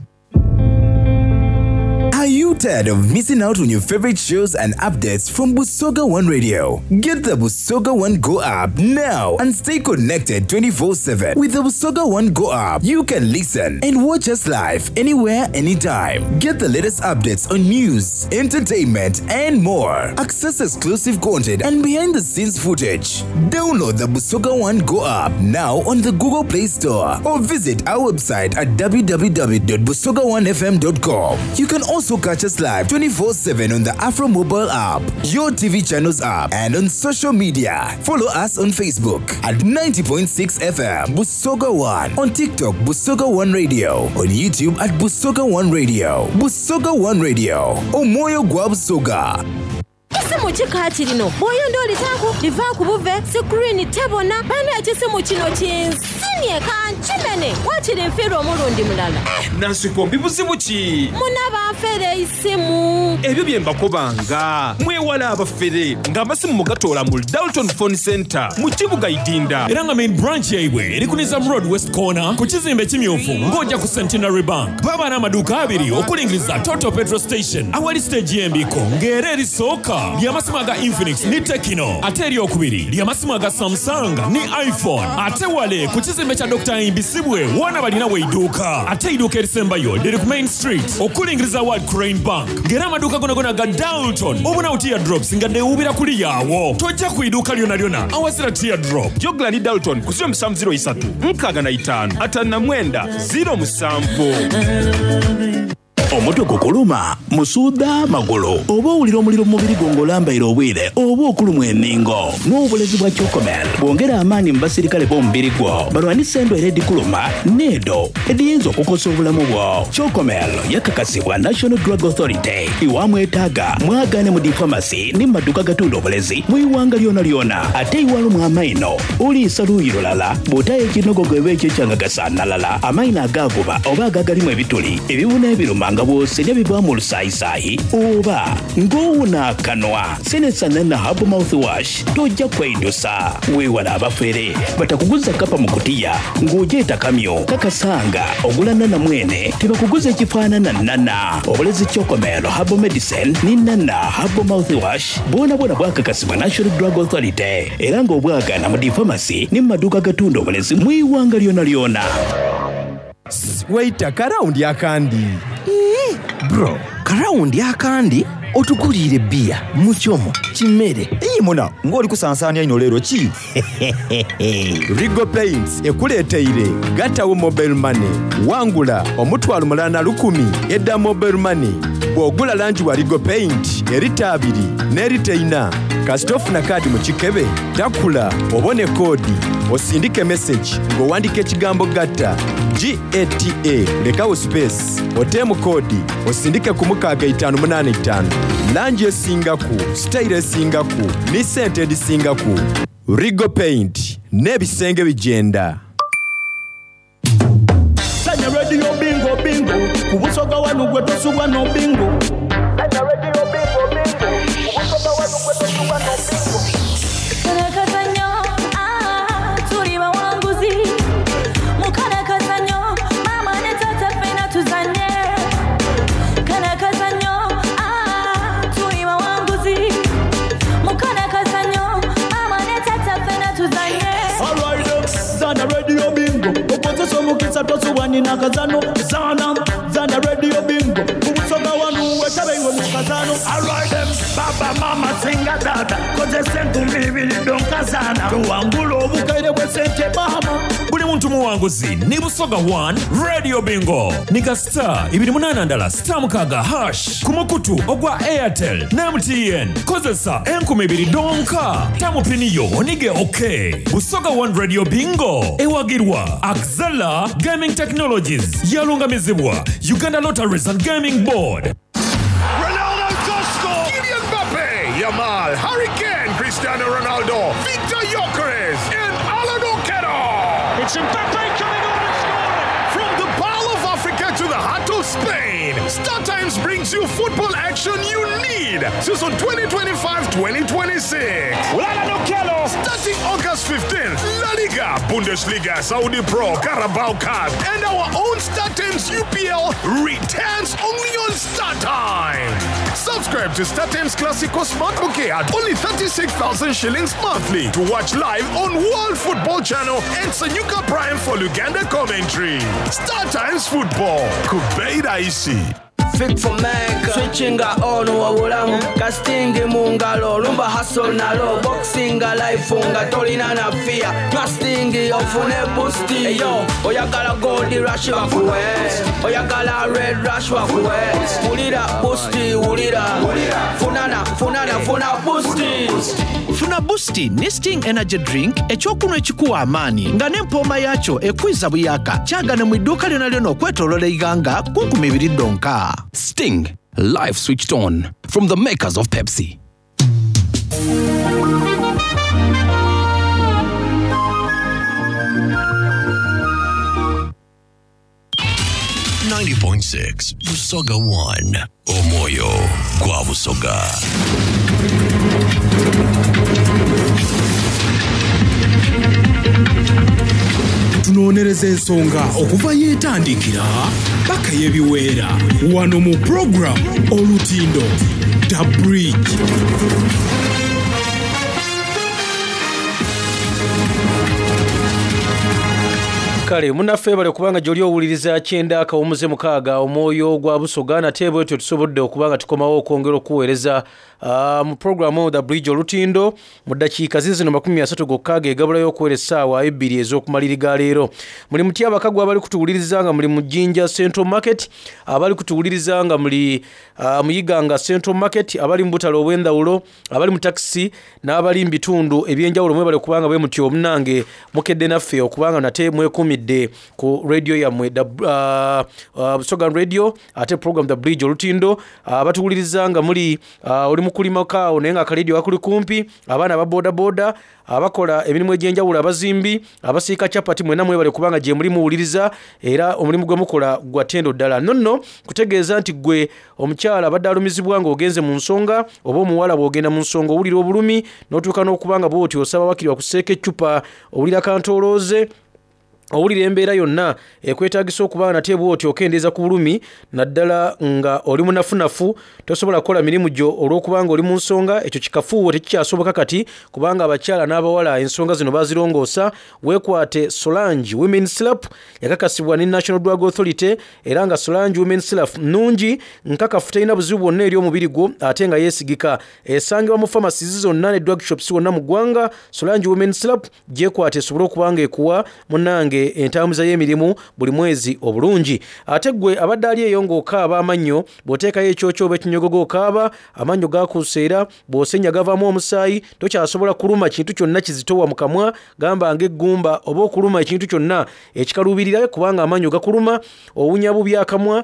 Are you tired of missing out on your favorite shows and updates from Busoga One Radio? Get the Busoga One Go app now and stay connected twenty-four seven. With the Busoga One Go app, you can listen and watch us live anywhere, anytime. Get the latest updates on news, entertainment, and more. Access exclusive content and behind-the-scenes footage. Download the Busoga One Go app now on the Google Play Store or visit our website at w w w dot busoga one f m dot com. You can also catch us live twenty-four seven on the Afro mobile app, your T V channels app, and on social media. Follow us on Facebook at ninety point six F M Busoga one, on TikTok Busoga one Radio, on YouTube at Busoga one Radio. Busoga one Radio, Omwoyo gwa Busoga. Ekisimu kikaati lino bw'oyonda olitaako liva ku buve screen tebona bana ekisimu kino kinsinye kankimene wakiri nfiirwa omulundi mulala. Eh, Nansikombi buzibu ki? Munaba nfere isimu. Ebyo bye mbakobanga mwewala abafere ng'amasimu mugatoola mu Dalton Phone Center mu kibuga Idinda era nga main branch yaibwe eri ku Nizam Road West Corner ku kizimbe kimyufu ng'ojja ku Centenary Bank. Baba n'amaduuka abiri okulingiriza Total Petrol Station awali stage y'embiko ng'era erisooka ly'amasimu aga Infinix ni Tecno, ate eryokubiri ly'amasimu aga Samsung ni iPhone, ate wale ku kizimbe kya Doctor Imbisibwe wona balina weidduuka, ate eidduuka erisembayo liri ku Main Street okulingiriza World Crane Bank ng'era amaduuka gonagona ga Dalton obunawo teardrops nga deewubira kuli yaawo. Tojja ku idduuka lyona lyona awazira teardrop. Jogla ni Dalton ku ziro musanvu ziro isatu nkaaga na itaano ataano na mwenda ziro musanvu. Omutwe gukuluma, musuuda magulu, oba owulira omuliro mu mubiri gwo ng'olambaire obwire oba okulumwa enningo. N'obulezi bwa Chocomel bwongera amaanyi mu basirikale b'omubiri gwo balwanisa endwaire edikuluma n'edo ediyinza okukosa obulamu bwo. Chocomel yakakasibwa National Drug Authority. Iwamwetaaga mwagaane mu difamasi ne mu maduuka gatunda obulezi mu iwanga lyona lyona. Ate iwalumwa amaino oliisa luuyi lulala bw'otayo ekinogogo eba ekyo ekyangagasaanalala amaino agaaguba oba agagalimu ebituli ebibuna ebiruma nga bw'osenya bivaamu olusaayisaayi oba ng'owuna akanwa. Senesa Nana Herbal Mouthwash tojja kweidusa. Weewala abafere batakuguza kapa mu kutiya ng'ogyeta kamyo kakasanga ogula Nana mwene tebakuguza ekifaanana Nana. Obulezi Chocomel Herbal Medicine ni Nana Herbal Mouthwash bwona bwona bwakakasibwa National Drug Authority era ng'obwagaana mu difamasi ne mu maduuka gatunda obulezi mu iwanga lyona lyona. Waita karawundi akandi. Bro, karawundi akandi otuguliire bbiya mukyomo kimere. Iyi muna ng'oli kusansaanya ino leero ki? Rigo Paints ekuleeteire gattawo mobile money wangula omutwalo mulala na lukumi edda mobile money bw'ogula langi wa Rigo Paint erita abiri n'erita ina kasita ofuna kaadi mu kikebe takula obone koodi osindike message ng'owandiika ekigambo gatta G A T A lekawo space oteemu koodi osindike ku mukaaga itaano munaana itaano langi esingaku sitayiro esingaku ne ssente edisingaku. Rigo Paint n'ebisenge bijenda. Sanya radio bingo bingo ku Busoga wanu gwe tosubwa no bingo. Sanya radio bingo bingo ku Busoga wanu gwe tosubwa no bingo. Karakazanyo, ah, tuli bawanguzi. Mukarakazanyo, mama ne tata ffena tuzanye. Karakazanyo, ah, tuli bawanguzi. Mukarakazanyo, mama ne tata ffena tuzanye. All right, zana radio bingo. Okozesa omukisa tosubwa nina kazano. Zana, zana radio bingo. Ku Busoga wanu wetabe iwe mu kazano. All right, them, baba mama singa dada. Kozesa enkumbi ibiri donkazana. Tuwangula obukaire bwe ssente mama. Buli muntu muwanguzi ni Busoga one Radio Bingo. Nika star ibiri munana ndala star mukaaga hash ku mukutu ogwa Airtel ne M T N. Kozesa enkumi ibiri donka. Tamu pini yo onige okay. Busoga one Radio Bingo ewagirwa Axela Gaming Technologies yalungamizibwa Uganda Lotteries and Gaming Board. Ronaldo does score! Kylian Mbappe, Yamal, Harry Kane, Cristiano Ronaldo, Victor Gyökeres, and Alan Okello. It's Mbappe coming on and scoring! From the Pearl of Africa to the heart of Spain, Star Times brings you football action you need. Season twenty twenty-five twenty twenty-six. Alan Okello! Starting August fifteenth, La Liga, Bundesliga, Saudi Pro, Carabao Cup, and our own Star Times U P L returns only on Star Times. Subscribe to Star Times Classico Smart Bouquet at only thirty-six thousand shillings monthly to watch live on World Football Channel and Sanyuka Prime for Uganda commentary. Star Times Football. Kubeira Isi. Fik for make Switchinga on wabulamu Casting mu ngalo Lumba hustle nalo Boxinga life nga tolina na fear Trusting ofune boost Eyo oyagala gold rush bakuwe Oyagala red rush bakuwe Wulira boost wulira Funana funana funa boost Funa Boost ne Sting Energy Drink ekyokunywa ekikuwa amaanyi nga n'empooma yaakyo ekwiza buyaka kyagane mu idduuka lyona lyona okwetooloola eighanga ku nkumi ibiri ddonka. Sting, life switched on from the makers of Pepsi. ninety point six Busoga one Omwoyo gwa Busoga. Tunoonyereza ensonga okuva yeetandikira paka y'ebiweera wano mu program Olutindo The Bridge. Kale munnaffe bale kubanga gy'oli owuliriza kyenda akawumuze mukaaga omwoyo gwa Busoga nate bwetyo tusobodde okuba nga tukomawo okwongera okuweereza uh, mu programu The Bridge Olutindo mu ddakiika zizino makumi asatu gokka ge gabulayo okuwera essaawa ebbiri ez'okumaliriga leero. Muli mutya abakagwa abali kutuwuliriza nga muli mu Jinja Central Market, abali kutuwuliriza nga muli uh, mu Iganga Central Market, abali mu butale obw'endawulo, abali mu takisi n'abali mu bitundu eby'enjawulo mwebale kubanga bwe mutyo omunange mukedde naffe okubanga nate mwekuumidde ku radio yammwe uh, uh, Busoga Radio ate program The Bridge Olutindo. Abatuwuliriza uh, nga muli uh, oli mukulima kaawo naye nga akaleediyo kakuli kumpi, abaana aba bodaboda, abakola emirimu egy'enjawulo, abazimbi, abasiika chapati, mwenna mwebale kubanga gye muli muwuliriza era omulimu gwe mukola gwa ttendo ddala. Nno nno kutegeeza nti ggwe omukyala abadde alumizibwa ng'ogenze mu nsonga oba omuwala bw'ogenda mu nsonga owulira obulumi n'otuuka n'okuba nga bw'oti osaba wakiri bakuseeko eccupa, owulira kantoolooze, owulira embeera yonna ekwetaagisa okuba nate bw'oti okendeeza ku bulumi naddala nga oli munafunafu tosobola kukola mirimu gyo olw'okubanga oli mu nsonga. Ekyo kikafuuwe tekikyasoboka kati kubanga abakyala n'abawala ensonga zino bazirongoosa. Weekwate Solange Women Slap yakakasibwa ne National Drug Authority era nga Solange Women Slap nnungi nkakafu terina buzibu bwonna eri omubiri gwo ate nga yeesigika. Esangibwa mu pharmacies zonna ne drug shops wonna mu ggwanga. Solange Women Slap gyekwate esobole okuba nga ekuwa munnange entambuza y'emirimu buli mwezi obulungi. Ate ggwe abadde ali eyo ng'okaaba amannyo, bw'oteekayo ekyokyo oba ekinyogogo okaaba, amannyo gakuusa era bw'osenya gavaamu omusaayi, tokyasobola kuluma kintu kyonna kizitowa mu kamwa gamba ng'eggumba oba okuluma ekintu kyonna ekikaluubirira kubanga amannyo gakuluma, owunya bubi akamwa,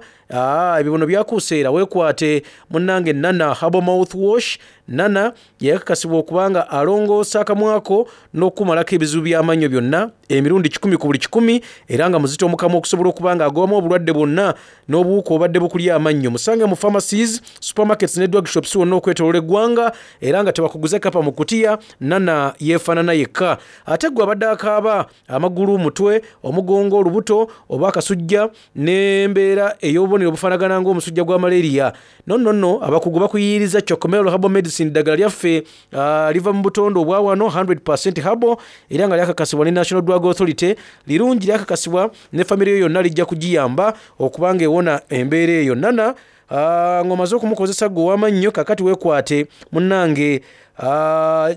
ebibono byakuusa era. Weekwate munnange Nana Herbal Mouthwash. Nana yakakasibwa okubanga alongoosa akamwako n'okumalako ebizibu by'amannyo byonna emirundi kikumi ku buli kikumi era nga muzito omukamwa okusobola okuba nga agobamu obulwadde bwonna n'obuwuka obadde bukulya amannyo. Musange mu pharmacies, supermarkets ne drug shops wonna okwetooloola eggwanga era nga tebakuguza kapa mu kutiya. Nana yeefaanana yekka. Ate ggwe abadde akaaba amagulu, omutwe, omugongo, olubuto oba akasujja n'embeera ey'obubonero obufaanagana ng'omusujja gwa malaria, no nno nno abakugu bakuyiyiriza Chocomel Herbal Medicine. Ddagala lyaffe uh, liva mu butonde obwa wano one hundred percent herbal era nga lyakakasibwa ne National Drug Authority. Lirungi, lyakakasibwa ne famire yo yonna lijja kugiyamba okuba nga ewona embeera eyo. Nana uh, ng'omaze okumukozesa gwe ow'amannyo, kakati weekwate munnange uh,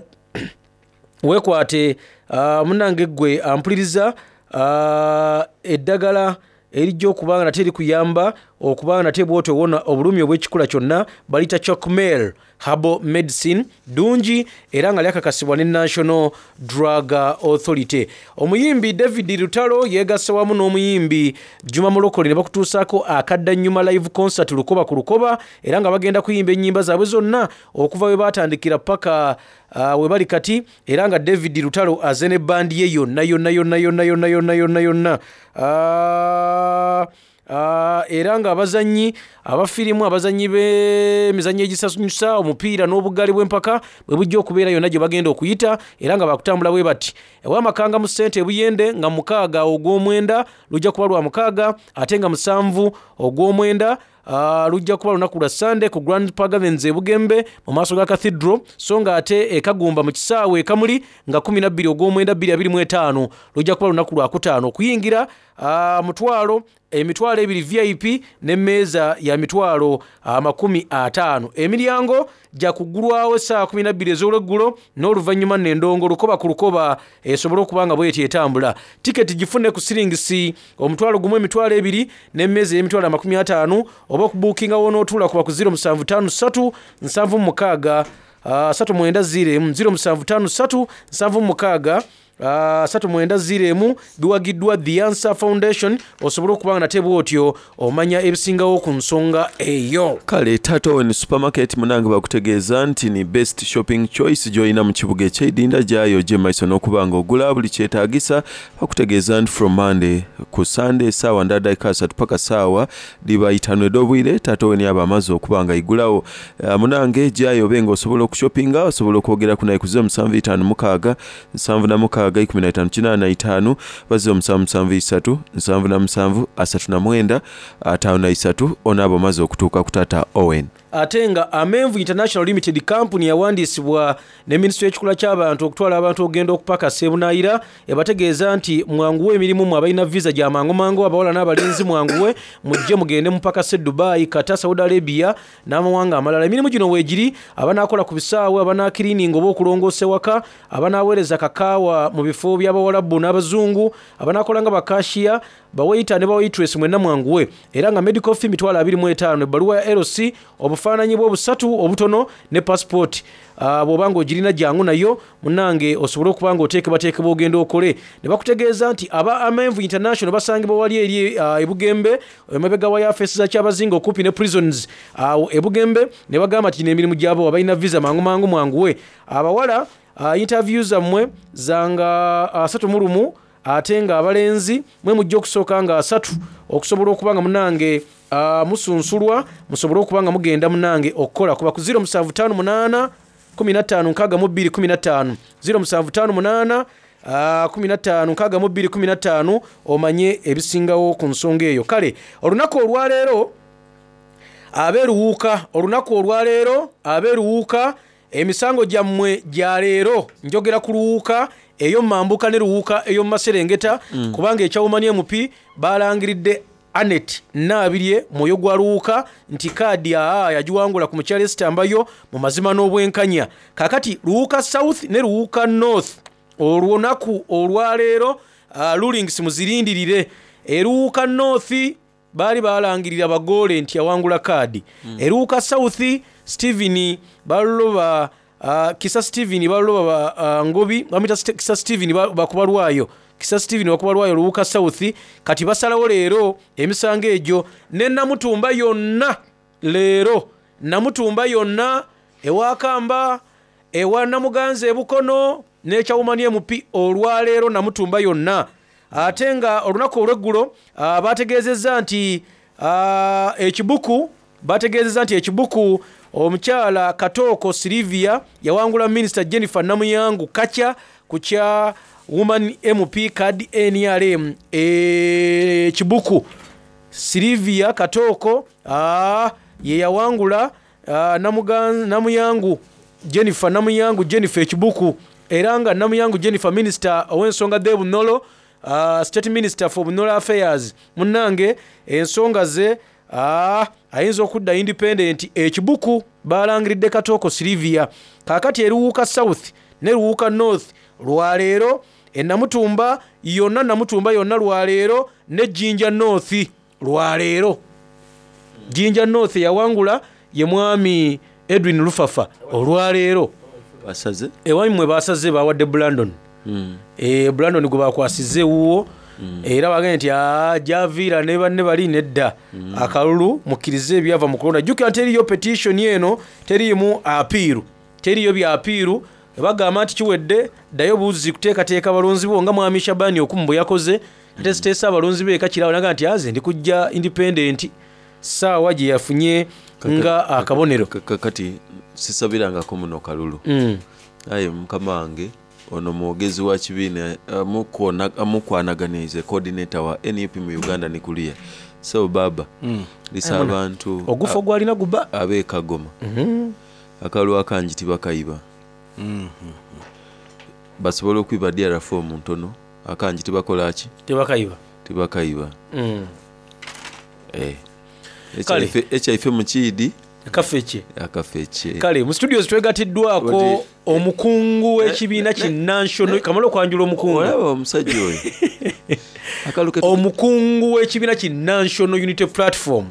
weekwate uh, munnange ggwe ampuliriza uh, eddagala erijja okuba nga nate erikuyamba okuba nga nate bw'oti owona obulumi obw'ekikula kyonna balita Chocomel Herbal Medicine ddungi era nga lyakakasibwa ne National Drug Authority. Omuyimbi David Lutalo yeegasse wamu n'omuyimbi Juma Mulokole ne bakutuusaako akaddannyuma live concert lukoba ku lukoba era nga bagenda kuyimba ennyimba zaabwe zonna okuva we baatandikira paka uh, we bali kati era nga David Lutalo aze ne bandi ye yonna yonna yonna yonna yonna yonna yonna yonna uh, Uh, era nga abazannyi abafirimu, abazannyi b'emizannyo egisanyusa, omupiira n'obugaali bw'empaka bwe bujja okubeera yonna gye bagenda okuyita era nga bakutambula bwe bati ewamakanga mu ssente ebuyende nga mukaaga ogw'omwenda lujja kuba lwa mukaaga ate nga musanvu ogw'omwenda Uh, lujja kuba lunaku lwa Sande ku Grand Pagavens e Bugembe mu maaso ga Cathedral, so nga ate ekagumba mu kisaawe ekamuli nga kumi na bbiri ogw'omwenda bbiri abiri mu etaano lujja kuba lunaku lwakutaano. Okuyingira uh, mutwalo Emitwalo ebiri V I P n'emmeeza ya mitwalo amakumi ataano. Emiryango gya kuggulwawo essaawa kumi na bbiri ez'olweggulo, n'oluvannyuma nendongo lukoba ku lukoba esobole okuba nga bweti etambula. Tiketi gifune ku siringisi omutwalo gumu, emitwalo ebiri n'emmeeza ey'emitwalo amakumi ataano, oba okubuukinga wonootuula kuba ku ziro musanvu ttaano ssatu nsanvu mu mukaaga ah, asatu mwenda ziro emu, ziro musanvu ttaano ssatu nsanvu mu mukaaga asatu mwenda ziro emu. Biwagiddwa The Answer Foundation. Osobole okuba nga nate bwotyo omanya ebisingawo ku nsonga eyo. Kale Tata Owen Supermarket munange bakutegeeza nti ni best shopping choice gy'olina mu kibuga ekyeidinda gyayo gyemaiso n'okuba nga ogula buli kyetaagisa. Bakutegeeza nti from Monday ku Sunday saawa ndala dakiika asatu paka saawa diba itaano ed'obwire, Tata Owen aba amaze okuba nga igulawo. Uh, munange gyayo obe nga osobola okushopinga, osobola okwogeraku naye ku ziro musanvu itaano mukaaga nsanvu na mukaaga ikumi na itaano kinaana itaano ba ziro musanvu musanvu isatu nsanvu na musanvu asatu na mwenda ataano na isatu. Onaaba omaze okutuuka ku Tata Owen. Ate nga Amenvu International Limited Company yawandiisibwa ne minisitule y'ekikula ky'abantu okutwala abantu okugenda okupakasa ebunaayira, ebategeeza nti mwanguwe emirimu mu abalina visa gya mangu mangu, abawala n'abalenzi mwanguwe mujje mugende mupakase Dubai, Qatar, Saudi Arabia n'amawanga amalala. Emirimu gino weegiri: abanaakola ku bisaawe, abanakirininga oba okulongoosa ewaka, abanaaweereza kakaawa mu bifo by'abawalabu n'abazungu, abanaakola nga bakashiya, bawaita ne bawaitress, mwenna mwanguwe. Era nga medical fee mitwalo abiri mu etaano, ebbaluwa ya L C, obufaananyi bw'obusatu obutono ne passport. uh, bw'oba nga ogirina jangu nayo munange osobole okuba nga oteekebwateekebwa ogenda okole. Ne bakutegeeza nti aba Amenvu International basangibwa wali eri uh, ebugembe emabega wa yafesi za Kyabazinga okumpi ne prisons awo ebugembe. Ne bagamba nti gino emirimu gyabo, abalina visa mangu mangu mwanguwe. Abawala uh, interview zammwe zanga asatu mu lumu, ate nga abalenzi mwe mujja okusooka nga asatu okusobola okuba nga munange uh, musunsulwa musobole okuba nga mugenda munange okukola. Kuba ku ziro musanvu ttaano munaana kumi na ttaano nkaaga mu bbiri kumi na ttaano, ziro musanvu ttaano munaana kumi na ttaano nkaaga mu bbiri kumi na ttaano, omanye ebisingawo ku nsonga eyo. Kale olunaku olwaleero abeeruwuuka, olunaku olwaleero abeeruwuuka, emisango gyammwe gya leero. Njogera ku Luwuuka ey'omumambuka ne Luwuuka ey'omu maserengeta mm. kubanga ekya Woman M P balangiridde Anet Naabirye mwoyo gwa Luwuuka nti kaadi aa yagiwangula ku mukyala Esitambayo mu mazima n'obwenkanya. Kakati Luwuuka South ne Luwuuka North, olunaku olwaleero uh, rulings muzirindirire. Eruwuuka North baali balangirira Bagoole nti yawangula kaadi mm. Eruwuuka South Stephen Baluloba, uh, Kisa Stephen Baluloba uh, Ngobi bamwita Kisa Stephen bakubalwayo, Kisa Stephen bakubalwayo Luwuka South. Kati basalawo leero emisango egyo ne Namutumba yonna leero, Namutumba yonna ewakamba ewa Namuganza ebukono n'ekya Woman M P olwaleero Namutumba yonna. Ate nga olunaku olweggulo uh, bategeezezza nti uh, ekibuku, bategeezezza nti ekibuku omukyala Katooko Silivia yawangula minisita Jennifer Namuyangu Kakya ku kya Woman M P card N R M. Ekibuku Silivia Katooko ye yawangula Namuyangu Jennifer, Namuyangu Jennifer ekibuku. Era nga Namuyangu Jennifer minisita ow'ensonga dhe Bunolo, uh, state minister for Bunolo affairs, munnange ensonga ze uh, ayinza okudda independent. Ekibuku balangiridde Katooko Silivia. Kakati eruwuuka South ne Luwuuka North lwaleero, enamutumba yonna, Namutumba yonna lwaleero, ne Jinja North lwaleero. Jinja North yawangula ye mwami Edwin Lufafa olwaleero. Basaze. Ewammwe basaze, bawadde Brandon mm. e, Brandon gwe bakwasiza ewuwo mm. Era bagambye nti javiira ne banne bali nedda mm. Akalulu mukkirize ebyava mu kulonda. Jjukira teriyo petition eno, teriimu appeal, teriyo bya appeal. Bagamba nti kiwedde, ddayo buzi kuteekateeka balonzi bo nga mwami Shabani Okumu bwe yakoze atesiteesa abalonzi be kakirawo naga nti aze ndi kujja independent saawa gye yafunye nga akabonero. Kakati sisabirangako muno kalulu mm. Aye mukama wange ono mwogezi wa kibiina mukwanagana coordinator wa N U P mu Uganda ne kuliya. So baba mm. lisa abantu ogufo gwalina guba ab'e Kagoma mm -hmm. Akalulu akangi tibakayiba mm -hmm. Basobole okwiba D R form ntono, akangi tibakola ki? Tebakayiba. Tibakayiba. mm. Eh. Kale. Ekyaife- ekyaife mukiidi akafeke akafeke Kale mu studios twegatiddwako omukungu w'ekibiina ki National, kamala okwanjula omukungu. Olaba omusajja oyo. Omukungu w'ekibiina ki National Unity Platform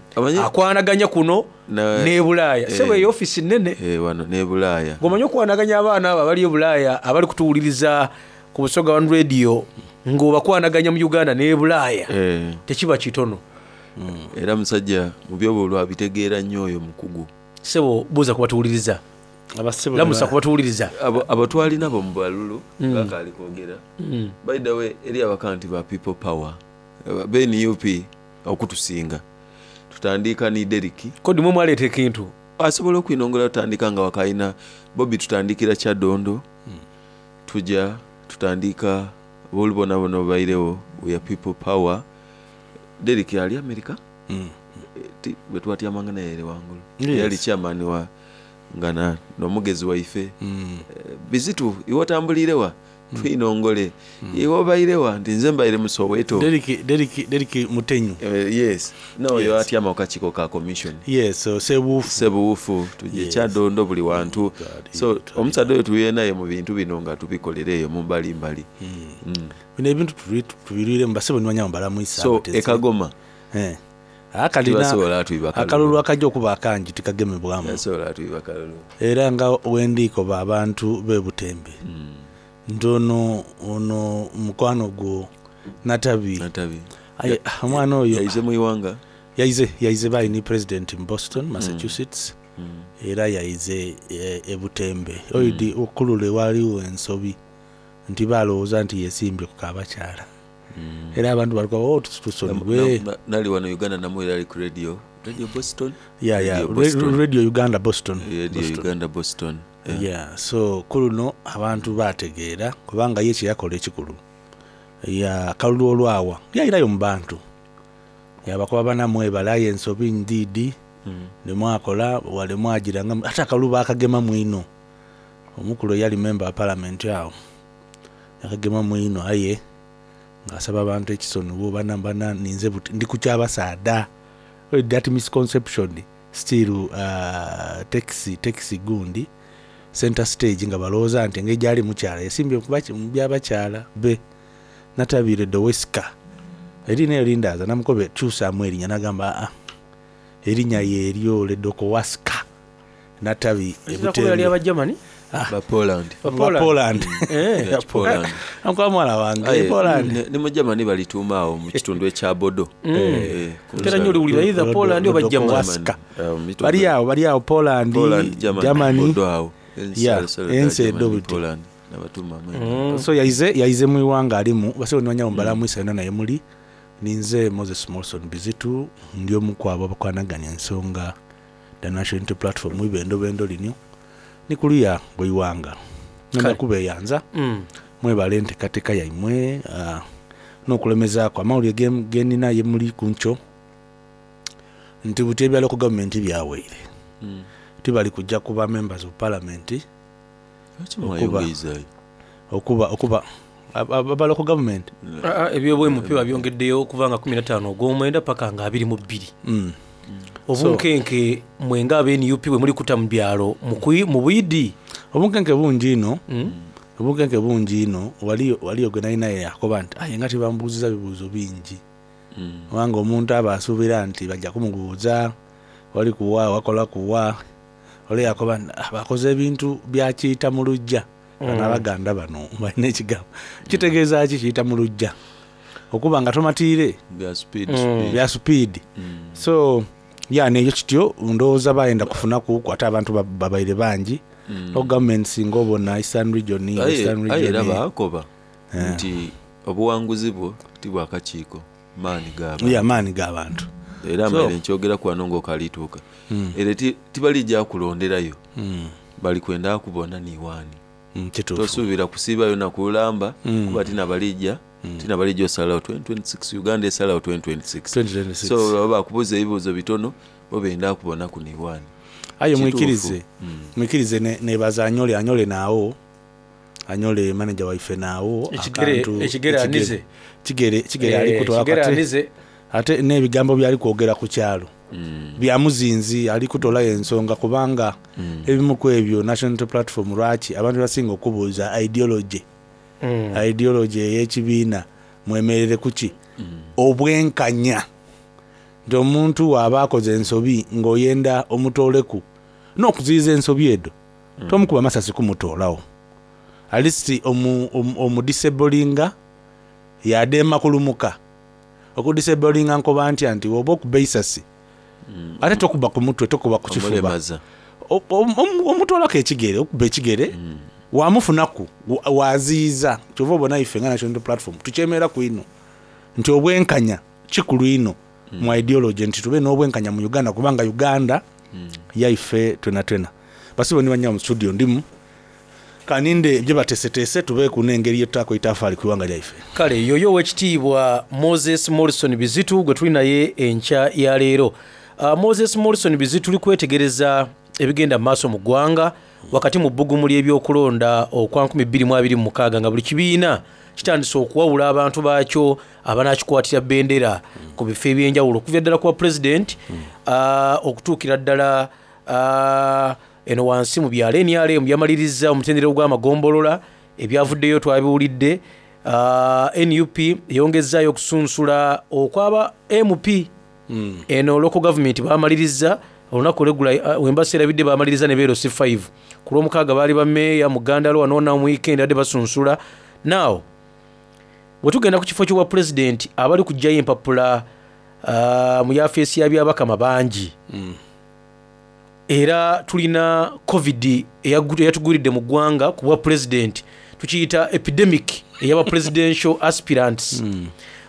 akwanaganya kuno ne Bulaaya. Eh. Sebo, eyo ofisi nene. Eh, wano ne Bulaaya. Ng'omanyi okwanaganya abaana abo abali e Bulaaya abali kutuwuliriza ku Busoga One Radio, ng'obakwanaganya mu Uganda ne Bulaaya, Eh. tekiba kitono. Era musajja mu byobulwa abitegeera nnyo oyo mukugu. Sebo, buuza kubatuwuliriza, lamusa kubatuwuliriza. Abo abo twalina bo mu balulu Mm. bakaali kwogera. Mm. By the way, eri abakanti ba People Power ba N U P okutusinga tutandika ni Deriki. Kodi mwe mwaleeta ekintu. Asobola okwinongola. Tutandika nga wakalina Bobi, tutandikira Kyadondo, tuja tutandika bolubonabona obairewo. We are People Power. Deriki ali America. Mm. Eh, ti- bwe twatyamanga naye ere wangulu. Yes. Yali chairman wa nga na- n'omugezi waife. Mm. Eh, bizitu iwe otambulirewa twinongole, iwe obairewa nti nze mbaire mu Soweto. Deriki Deriki Deriki Mutenyu. Eh, yes, noyo Yes. atyama ku kakiiko ka commission. Yes, so Sebuufu. Sebuufu tuje. Yes. Kyadondo buli wantu. So omusadde oyo tuye naye mu bintu bino nga tubikolera eyo mu mbali mbali. Mm. Bino ebintu tubi- tubirwiremu basebo niwanyama balamwisa. So ekagoma Eh. Akalina Tibasobola atuiba kalulu. akalulu akajja okuba akangi tikagemebwamu. Tibasobola atuiba kalulu. Era nga wendiikoba abantu b'e Butembe nti ono ono mukwano gwo Natabi. Natabi. Aye, ah, omwana oyo Yaize mu iwanga. Yaize yaize bayi ni president mu Boston, Massachusetts. Mm. Era yaize e, e Butembe oidi okulula waliwo ensobi nti balowooza nti yesimbye ku kabakyala, era abantu balikuba, oh, tusonibwe. Na- na- nali wano Uganda namuwera ali ku radio radio Boston. Yeah, yeah. Radio Ra- Boston. Radio Uganda Boston. Radio Boston. Uganda Boston. Yeah. Yeah, so ku luno abantu bategeera kubanga ye kyeyakola ekikulu ya akalulu olwawa yayirayo mu bantu yabakuba banamwebala ensobi ndiidi Mm. nemwakola wale mwagiranga ate akalulu bakagema mwino omukulu eyali member wa parliament awo yakagema mwino, aye ng'asaba abantu ekisoniwo bana bana ninze buti ndi ku kyabasaada. That misconception still uh, takes takes gundi center stage nga balowooza nti engeri gyali mukyala yesimbye mu baki- mu byabakyala be Natabire Doweska erinnya eryo lindaaza namukobe kyusaamu erinnya nagamba aa erinnya yeeryo Ledokowaska Natabi. Kubeera lya Bagermany. Ba Poland. Ba Poland. Eh. Ya Poland. Ankuba muwala wange. Aye, Poland. ne- ne mu Germany balituuma awo mu kitundu ekya Bodo. Mm. Eh, ku Ntera nnyo oliwulira either Poland oba Germany. Ledokowaska. Eh, mu bitundu- Bali awo bali awo Poland. Poland, Germany, Germany. Bodo awo. Yeah, Ensi- ensi Germany, edo buti. Poland, nabatuuma amannya. So yaize yaize mu iwanga alimu basebo niwanya mbalamwisa yona naye muli ninze Moses Molson Bizitu, ndi omu ku abo abakwanaganya ensonga the National Unity Platform ibendobendo linyo ni kuluya bweiwanga Kale. kubeyanza. Mm. Mwebale enteekateeka yaimwe, ah, n'okulemezaako amawulire gem- genina ye muli ku nkyo nti buti ebyalo ku gavumenti byaweire Mm. tibali kujja kuba members of parliament. Lwaki mwayongezaayo? Okuba okuba abala ku gavumenti. Ah, ah, ebyobwemupi babyongeddeyo okuva nga kumi na ttaano ogw'omwenda paka nga abiri mu bbiri. Mm. Obunkenke mwenga aba N U P bwe muli kuta mu byalo mu kui- mu bwidi. Obunkenke bungi ino. Mm. Obunkenke bungi ino. Waliyo waliyo gwe nalina yakoba nti aye nga tebambuuziza bibuuzo bingi, kubanga omuntu aba asuubira nti bajja kumubuuza wali kuwa wakola kuwa oli yakoba nti, "Ah, bakoze ebintu byakiyita mu lujja." Mm. Bano abaganda bano balina ekigambo kitegeeza ki kiyita mu lujja okuba nga tomatiire. Bya speed, Mm. speed. Bya speed. So ya neyo kityo ndowooza bayenda kufunaku ate abantu ba- babaire bangi. Mm. mm. Government singa obona Eastern Region, Aye- Western aye era Region. baakoba Eh. nti obuwanguzi bwo tibwakakiiko, maanyi g'abantu. Ya maanyi g'abantu. Era So- amaire nkyogera ku wano ng'okalituuka Mm. era ti- tibalijja kulonderayo, Mm. bali kwenda kubona niwaani. Mm, kituufu. Tosuubira kusiibayo nakulamba Mm. kuba tinabalijja tinabalijja osalawo twenty twenty-six, Uganda esalawo twenty twenty-six. twenty twenty-six. So baba bakubuuza ebibuuzo bitono, bo benda kubona ku niwaani. Aye Kituufu. mwikirize Mm. mwikirize ne- nebaza anyole anyole naawo anyole manager waife naawo. Ekigere- akantu- ekigere anize. kigere kigere Eh, ali kutola Kigere kate. anize. Ate n'ebigambo byali kwogera ku kyalo bya muzinzi, ali kutolayo ensonga kubanga ebimu ku ebyo National Unity Platform lwaki abantu basinga okubuuza ideology, Mm. ideology ey'ekibiina mwemerere kuki? Obwenkanya, nti omuntu waaba akoze ensobi ng'oyenda omutooleku n'okuziyiza ensobi edo, tomukuba masasi kumutoolawo, at least omu, omu, omudisablinga yadeema kulumuka. Okudisablinga nkoba ntya? Nti oba okuba eisasi, ate tokuba ku mutwe, tokuba ku kifuba. Omulemaza. O- om- om- omutwalako ekigere, okuba ekigere wamufunaku, wa- waziyiza. Kyova obona ife nga National Unity Platform tukyemera ku ino nti obwenkanya kikulu ino mu ideology, nti tube n'obwenkanya mu Uganda, kubanga Uganda yaife twena twena. Basibo ni banya mu studio ndimu kaninde bye bateeseteese, tubeeku n'engeri yetutaako itafaali ku iwanga lyaife. Kale yoyo owekitiibwa Moses Morrison Bizitu gwe tuli naye enkya ya leero. uh, moses Morrison Bizitu, tuli kwetegereza ebigenda mu maaso mu ggwanga wakati mu bbugumu ly'ebyokulonda okwa nkumi bbiri mu abiri mu mukaaga, nga buli kibiina kitandise okuwawula abantu baakyo abanakikwatira bendera ku bifo ebyenjawulo, okuva ddala kuba pulezidenti uh, okutuukira ddala uh, eno wansi mu byalo. N R M yamaliriza omutendera gw'amagombolola, ebyavuddeyo twabiwulidde. uh, N U P eyongezaayo okusunsula okwaba M P eno local government, bamaliriza olunaku olwegula wembasa erabidde, bamaliriza ne beero C five. Ku lwomukaaga baali bameeya mu Gandalo wano mu weekend adde basunsula. Now bwe tugenda ku kifo ky'obwa pulezidenti, abali kugjayo empapula uh, mu yafeesi ya Byabakama bangi, era tulina COVID eyagu- eyatugwiridde mu ggwanga ku bwa pulezidenti, tukiyita epidemic eyaba presidential aspirants.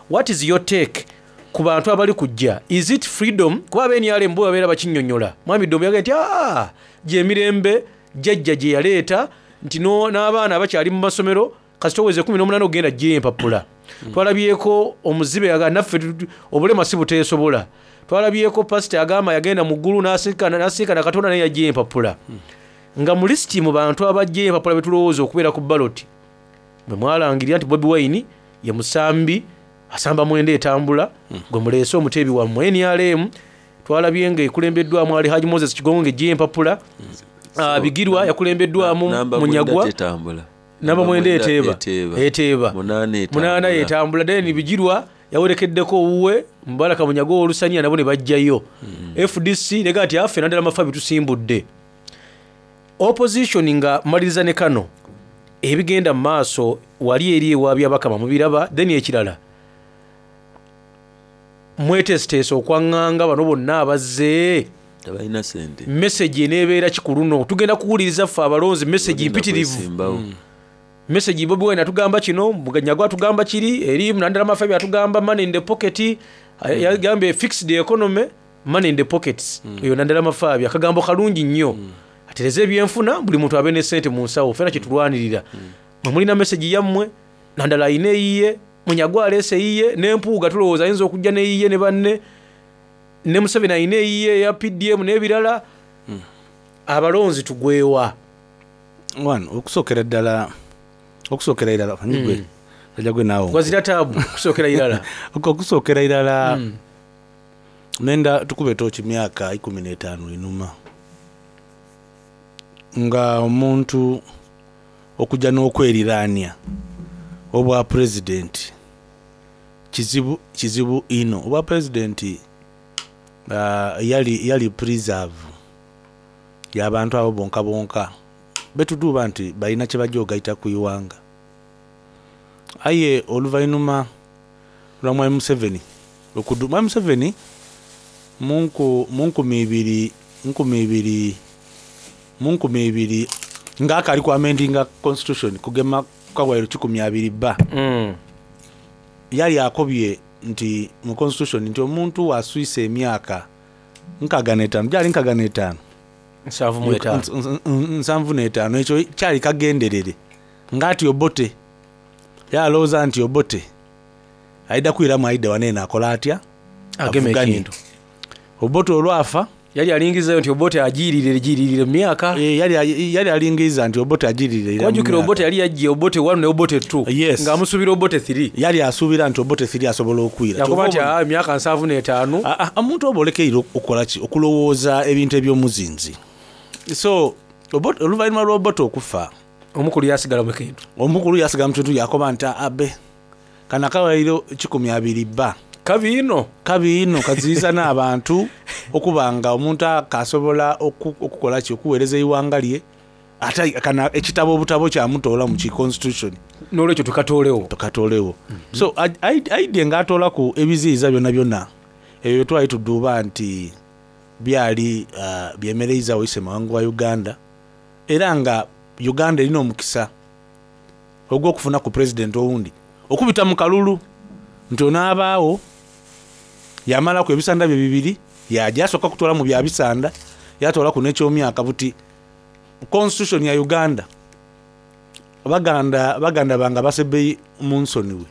What is your take ku bantu abali kujja? Is it freedom? Kuba aba N R M bo babeera bakinnyonnyola. Mwami Dombo yagambye nti "Ah, gyemirembe jjajja gye yaleeta nti no- n'abaana abakyali mu masomero kasita oweze kumi n'omunaana ogenda gyeyo empapula." Twalabyeko omuzibe yaga naffe tu- tu- obulema si buteesobola. Twalabyeko pasita agamba yagenda mu ggulu n'asinkana n'asinkana Katonda, naye yajjayo empapula. Nga mu lisiti mu bantu abajjayo empapula betulowooza okubeera ku baloti, bwe mwalangirira nti Bobi Wine ye musambi asamba mwenda etambula, gwe muleese omuteebi wammwe. N R M twalabye nga ekulembeddwamu ali Haji Moses Kigongo ng'ejjayo empapula. Ah, Bigirwa yakulembeddwamu Namba Munyagwa. mwenda tetambula. Namba mwenda eteeba. Eteeba. Eteeba. Munaana etambula. Munaana etambula. Then Bigirwa yawerekeddeko owuwe Mubaraka Munyagwa olusanya, nabo ne bajjayo. F D C nega nti affe naddala mafa bitusimbudde opposition. Nga maliriza ne kano ebigenda mu maaso wali eri ewa Byabakama mubiraba. Then ekirala, mweteeseteese okwaŋŋanga bano bonna abazze? Tebalina sente. Message eneebeera ki ku luno? Tugenda kuwuliriza ffe abalonzi message mpitirivu. Kwesimbawo. Message Bobi Wine atugamba kino, Munyagwa atugamba kiri, eri Nandala Mafabi atugamba money in the pocket. Yagambye fix the economy, money in the pockets. Eyo Nandala Mafabi akagambo kalungi nnyo, atereze ebyenfuna, buli muntu abe ne sente mu nsawo, fena kyetulwanirira. Mwe mulina message yammwe? Nandala ayina eyiye, Munyagwa aleese eyiye, n'empuuga tulowooza ayinza okujja n'eyiye ne banne, ne Museveni ayina eyiye eya P D M n'ebirala. Abalonzi tugwewa? One, okusookera ddala okusookera irala gwe ajja gwe naawe. Wazira taabu okusookera irala. Okusookera irala, Mm. nenda tukube tooki myaka ikumi n'etaano inuma, nga omuntu okujja n'okweriraania obwa pulezidenti kizibu, kizibu ino. Obwa pulezidenti uh, yali, yali preserve y'abantu abo bonka bonka betuduuba nti balina kye bajja ogaita ku iwanga. Aye oluvannyuma lwa mwami Museveni okudu, mwami Museveni mu nku- mu nkumi ibiri nkumi ibiri mu nkumi ibiri ng'akali ku amendinga constitution kugema kawairo kikumi abiri bba, yali akobye nti mu constitution nti omuntu waswisa emyaka nkaga n'etaano, gyali nkaga n'etaano. Nsanvu mu etaano. Nс- nс- nsanvu n'etaano. Ekyo kyali kagenderere ng'ati Obote yalowooza nti Obote aida kwiramu aide waneeno akola atya? Agema Avuganye. ekintu. Obote olwafa Yali alingizayo nti Obote agiirire giiririre mu myaka. Eh, yali yali alingiza nti Obote agiirire. Wajjukira Obote yali yajja Obote one ne Obote two. Yes. Ng'amusuubira Obote three. Yali asuubira nti Obote three asobola okwira. Yakuba nti ah, emyaka nsanvu n'etaano. Ah, omuntu oba olekeire okukola ki? Okulowooza ebintu eby'omuzinzi. So Obote, oluvannyuma lw'Obote okufa, omukulu yasigala mu kintu. Omukulu yasigala mu kintu yakoba nti abe kana kawaire kikumi abiri bba. Kabi ino. Kabi ino kaziyiza n'abantu okuba nga omuntu akasobola okukola ki okuweereza eiwanga lye ate kana ekitabo obutabo kyamutoola mu ki constitution. N'olwekyo tukatoolewo. Tukatoolewo. Mm -hmm. So aidye ng'atoolaku ebiziyiza byonna byonna ebyo bye twali tuduuba nti byali uh, byemereiza ise mawanga wa Uganda era nga Uganda erina omukisa ogw'okufuna ku president owundi okubita mu kalulu nti onaabaawo yamalaku ebisanda bye bibiri yajja asooka kutwala mu bya bisanda yatwalaku n'ekyomyaka buti constitution ya Uganda baganda baganda banga basebei mu nsoniwe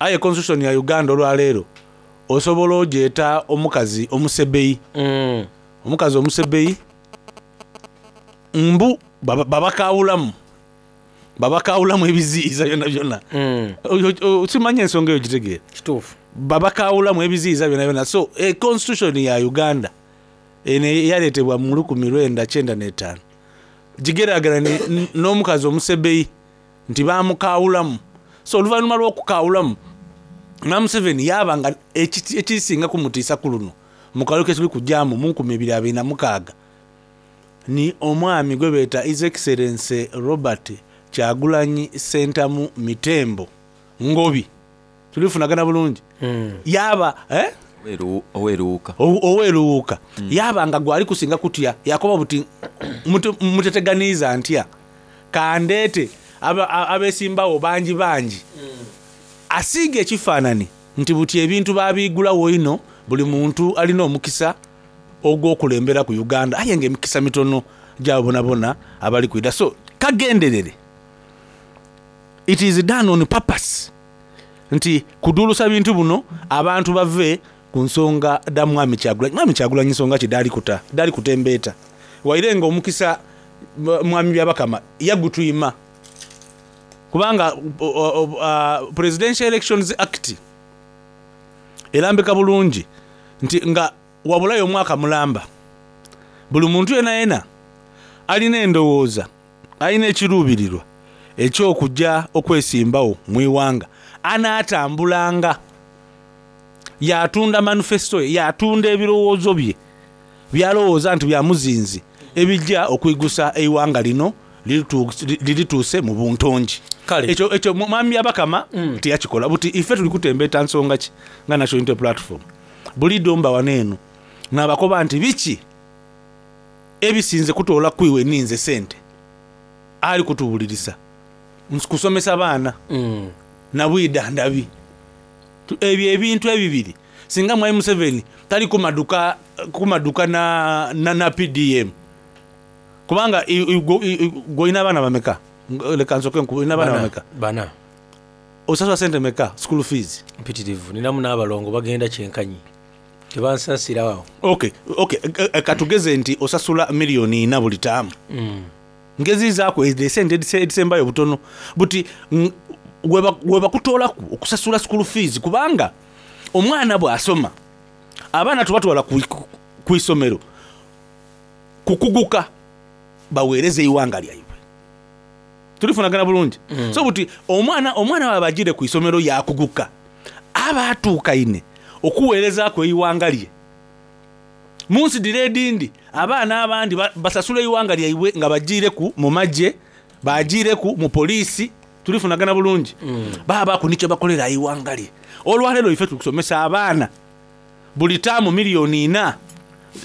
aye constitution ya Uganda olwaleero osobola ogyeta omukazi omusebei mm. Omukazi omusebei mbu babakawulamu babakawulamu ebiziyiza byonna byonna mm. Simanya ensonga eyo gitegeera kituufu babakawulamu ebiziyiza byonna byonna so e constitution ya Uganda eno yaleetebwa mu lukumi lwenda kyenda n'etaano gigeraageranye n'omukazi omusebei nti bamukawulamu so oluvannyuma lw'okukawulamu na Museveni yaba nga ekisinga kumutiisa ku luno mu kalulu ke tuli kujjamu mu nkumi ebiri abiri na mukaaga ni omwami gwe beeta His Excellency Robert Kyagulanyi Ssentamu Mitembo Ngobi tulifunagana bulungi mm. Yaba eh? Oweruuka oweruuka mm. Yaba nga gwali kusinga kutya yakoba buti muteteganiza ntya kandeete abesimbawo bangi bangi mm. Asiiga ekifaananyi nti buti ebintu babiigulawo ino buli muntu alina omukisa ogw'okulembera ku Uganda aye nga emikisa mitono gyabonabona abali kwida so kagenderere it is done on purpose nti kudulusa bintu buno abantu bave ku nsonga da mwami Kyagulanyi. Mwami Kyagulanyi nsonga ki dali kuta dali kutembeeta waire nga omukisa mwami Byabakama yagutwima kubanga uh, uh, Presidential Elections Act erambika bulungi nti nga wabulayo omwaka mulamba buli muntu yena yena alina endowooza alina ekiruubirirwa eky'okujja okwesimbawo mu iwanga anaatambulanga yatunda manifesto ye yatunda ebirowoozo bye byalowooza nti byamuzinzi ebijja okwigusa eiwanga lino lirituuse mu buntongi. Ekyo ekyo mwami Byabakama mm. teyakikola buti ife tuli kutembeeta nsonga ki nga National Unity Platform bulidde mba waneeno nabakoba nti biki ebisinze kutoola kwiwe ninze sente ali kutuwulirisa kusomesa baana mm. nabwida ndabi ebyo ebintu ebibiri singa mwami Museveni tali kumaduka kumaduka na, na, na P D M kubanga goyina abaana bameka leka nsooke olina abaana bameka bana osasula sente meka school fees mpitirivu ninamu n'abalongo bagenda kyenkanyi tebansasirawo. Okay, okay katugeze nti osasula miliyoni ina buli taamu mm. Ngezizaako esente edisembayo butono buti webakutoolaku okusasula school fees kubanga omwana bw'asoma abaana tubatwala ku isomero kukuguka baweereze eiwanga lyaibwe tulifunagana bulungi mm. So buti omwana omwana wabagire ku isomero yakuguka aba atuuka ine okuweerezaako eiwanga lye munsi dira edindi abaana abandi basasula eiwanga lyaibwe nga bagireku mu magye bagireku mu poliisi tulifunagana bulungi mm. Baba ku nikyo bakolera eiwanga lye olwaleero ife tukusomesa abaana buli taamu miliyoni ina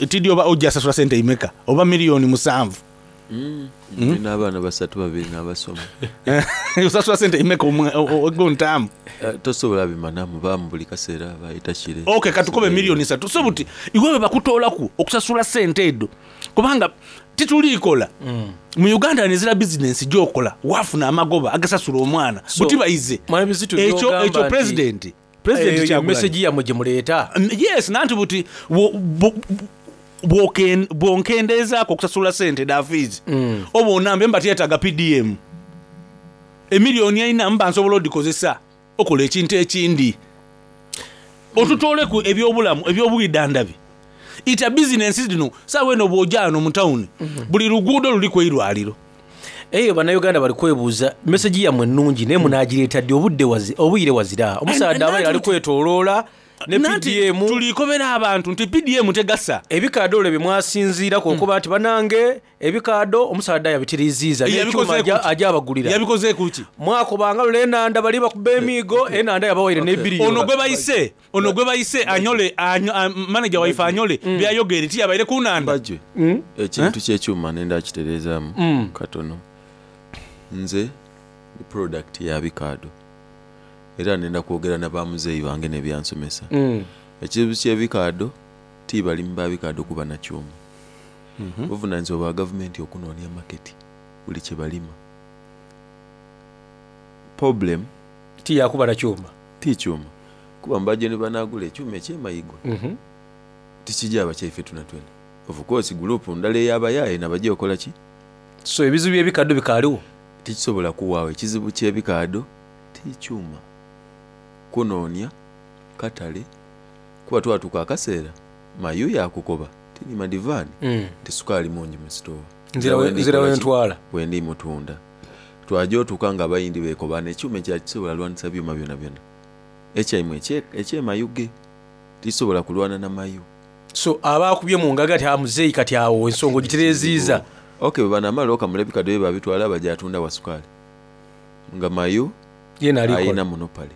tidi oba ojja sasula sente imeka oba miliyoni musanvu mm. Mm. N'abaana basatu babiri n'abasoma osasula sente imeka ogwo ntaamu uh, tosobola bimanamu bamu buli kaseera bayita kire okay katukobe miliyoni satu so buti iwe bwe bakutoolaku okusasula sente edo kubanga tituliikola mm. Mu Uganda nezira bizinensi gy'okola wafuna amagoba agasasula omwana so, buti bayize ekyo ekyo president president Kyagulanyi message yamwe gye muleeta yes nanti buti wo, bu, bu, Bw'oken- bw'onkendeezaako okusasula sente dha fees oba onambe mba tyetaaga P D M emiliyoni eina mba nsobola odikozesa okola ekintu ekindi otutoleku ebyobulamu ebyobwidandhabi ita bizinensi dhino saawa eno bw'oja wano mu tawuni buli luguudo luliku eirwaliro. Eyo bannayuganda bali kwebuuza meseji yammwe ennungi naye munaagireeta ddi obudde wazi obwire wazira omusaadha abaire ali kwetooloola ne Nanti P D M tulikobera abantu nti P D M tegasa. Ebikaado olwo bye mwasinziirako okuba nti banange ebikaado omusaadha yabitiriziiza n'ekyuma Yabikoze ajja abagulira. Yabikoze kuki? Mwakubanga lule enanda bali bakuba emiigo enanda yabawaire n'ebiriyoni. Ono gwe bayise ono gwe bayise anyole manager waife anyole byayogere tiyabaire ku nanda. Ekintu ky'ekyuma nenda kitereezaamu katono. Nze ndi product ya bikaado era nenda kwogera na bamuzeeyi bange n'ebyansomesa. Ekizibu ky'ebikaado ti balimi ba bikaado kuba na kyuma. Buvunaanyizibwa bwa gavumenti okunoonya maketi buli kye balima. Problem ti yakuba na kyuma. Ti kyuma kuba mbajje ne banaagula ekyuma eky'emayigwa tikijja abakyaife tuna twena. Of course group ndala ey'abayaaye nabajja okola ki? So ebizibu by'ebikaado bikaaliwo? Tikisobola kuwaawo ekizibu ky'ebikaado ti kyuma kunoonya katale kuba twatuuka akaseera mayu yakukoba tiri madivaani nti sukaali mungi mu sitoowa. Nzira wentwala. Wendi mutunda. Twajja otuuka nga abayindi beekobaana ekyuma ekirala kisobola lwanisa byuma byona byona. Ekyaimwe ekyemayuge tikisobola kulwana na mayu. So abaakubye mu ngaga ti amuzeeyi kati awo ensonga ogitereeziiza. Okay, bwe banamala okamula ebikadde bye babitwala bajja atunda wa sukaali. Nga mayu yena alikola. Ayina monopoly.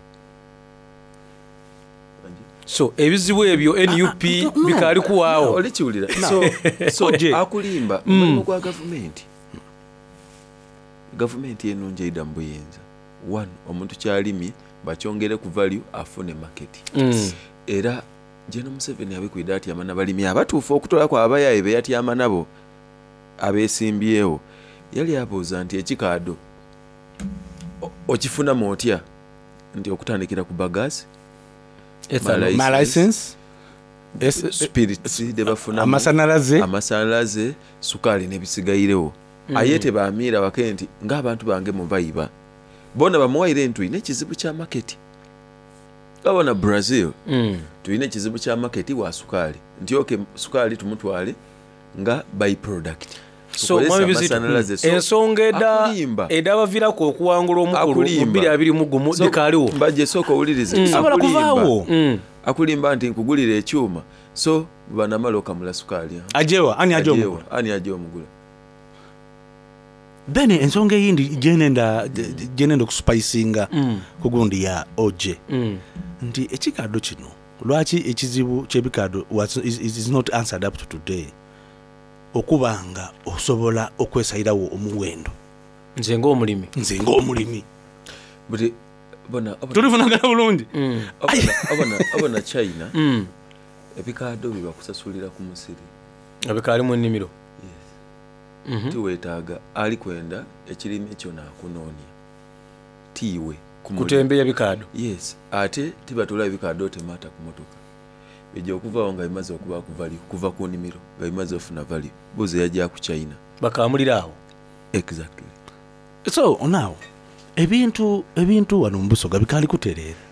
So ebizibu ebyo N U P bikaali kuwaawo. Olikiwulira. So, so akulimba omulimu gwa gavumenti. Gavumenti ennungi eyida mu buyinza. One, omuntu kyalimye bakyongere ku value afune market. Era General Museveni abikwidde atyama n'abalimi abatuufu okutolako abayaaye be yatyama nabo abeesimbyewo. Yali abuuza nti ekikaado okifunamu otya nti okutandikira ku bagaasi, ma license, spirits de bafunamu, amasannyalaze, amasannyalaze, sukaali n'ebisigairewo. Aye tebamiira wake nti ng'abantu bange mubayiba bona bamuwaire nti tulina ekizibu kya maketi. Gabona Brazil tulina ekizibu kya maketi wa sukaali nti okay sukaali tumutwale nga by product. So mwami Bizito, ensonga eda edabaviirako okuwangula omukulu mu bbiri abiri mu gumu dikaaliwo. Mbajje sooka owulirize. Sobola kuvaawo. Akulimba nti nkugulira ekyuma so banamala okamula sukaali. Ajewa ani aje omugula? Ani aje omugula? Then ensonga eyindi gyenenda gyenenda okuspicinga ku gundi ya O J nti ekikaado kino lwaki ekizibu ky'ebikaado is, is not answered up to today okubanga osobola okwesayirawo omuwendo. Nze ng'omulimi. Nze ng'omulimi. But bona tulifunagana bulungi. Obona obona China ebikaado bibakusasulira ku musiri. Ebikaali mu nnimiro. Tiweetaaga ali kwenda ekirime ekyo naakunoonya tiiwe kutembeya bikaado. Yes, ate tibatoola ebikaado temaata ku motoka bijja okuvaawo nga bimaze okuba ku value kuva ku nnimiro nga bimaze ofuna value buuza yajja ku China bakamulira awo. Exactly. So now ebintu ebintu wano mu Busoga bikaali kutereera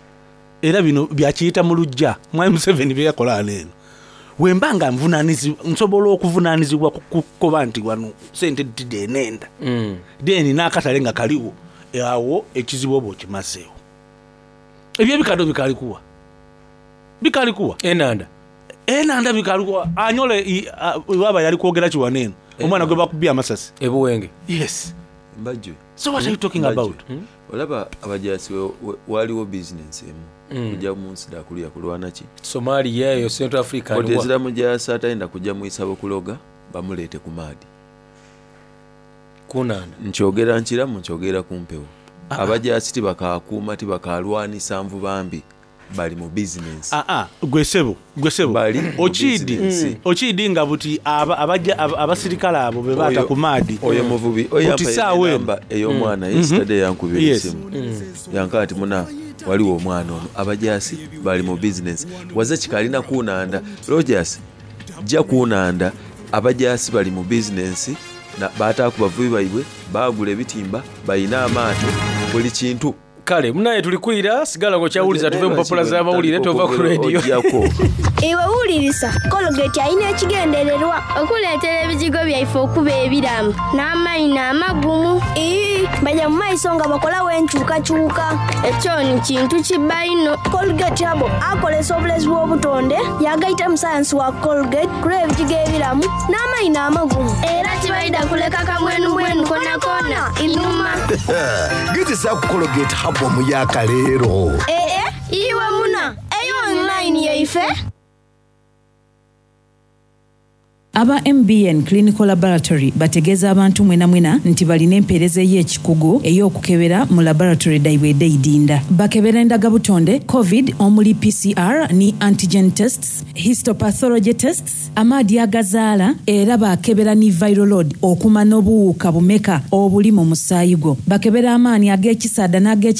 era bino byakiyita mu luggya Mwami Museveni bye yakola wano eno. Wemba nga nvunaanizibwa nsobola okuvunaanizibwa kukoba nti wano sente ddidde enenda then n'akatale nga kaliwo awo ekizibu oba okimazeewo. Ebyebikaddo bikaali kuwa bikaali kuwa enanda enanda bikaali kuwa anyole waba yali kwogera ki wano eno omwana gwe bakubye amasasi ebuwenge. Yes. Mbajje. So what are you talking about? Olaba abajaasi waliwo bizinensi emu kujja mu nsi dakulya kulwana ki Somalia eyo Central Africa otezira mujaasi atayenda kujja muyisabo kuloga bamuleete ku maadi kunanda. Nkyogera nkiramu nkyogera ku mpewo. Abajaasi tibakaakuuma tibakalwanisa nvubambi bali mu bizinensi. Ah ah gwesebo gwesebo okidi okidi nga buti abajja abasirikale abo be baata ku maadi oyo muvubi oyo namba ey'omwana yesterday yankubira essimu yankaa nti muna waliwo omwana ono abajaasi bali mu bizinensi waze kikalina kunanda Rogers Jja kunanda abajaasi bali mu bizinensi bataaku bavubi baibwe, bagula ebitimba, balina amaato, buli kintu. Kale munaye tuli kwira sigala ng'okyawuliza tuve mu mpapula z'amawulire tova ku rediyo. Iwe wulirisa Colgate alina ekigendererwa okuleetera ebijigo byaife okuba ebiramu n'amaino amagumu. Ii, bajja mu maiso nga bakolawo enkyukakyuka. Ekyo ni kintu kiba ino. Colgate abo akolesa obulezi bw'obutonde yagaita mu sayansi wa Colgate kulwa ebijigo ebiramu n'amaino amagumu. Era kibaida kuleka kamwenumwenu konakona inuma. Gezesa ku Colgate habo omuyaka leero. Ee, iwe muna eyo online yaife. Aba M B N Clinical Laboratory bategeeza abantu mwena mwena nti balina empeereza ey'ekikugu ey'okukebera mu laboratory daibwe edeidinda. Bakebera endagabutonde COVID omuli P C R ni antigen tests, histopathology tests, amaadi agazaala, era bakebera ni viral load okumanya obuwuka bumeka obuli mu musaayi gwo. Bakebera amaani ag'ekisaada n'ag'eki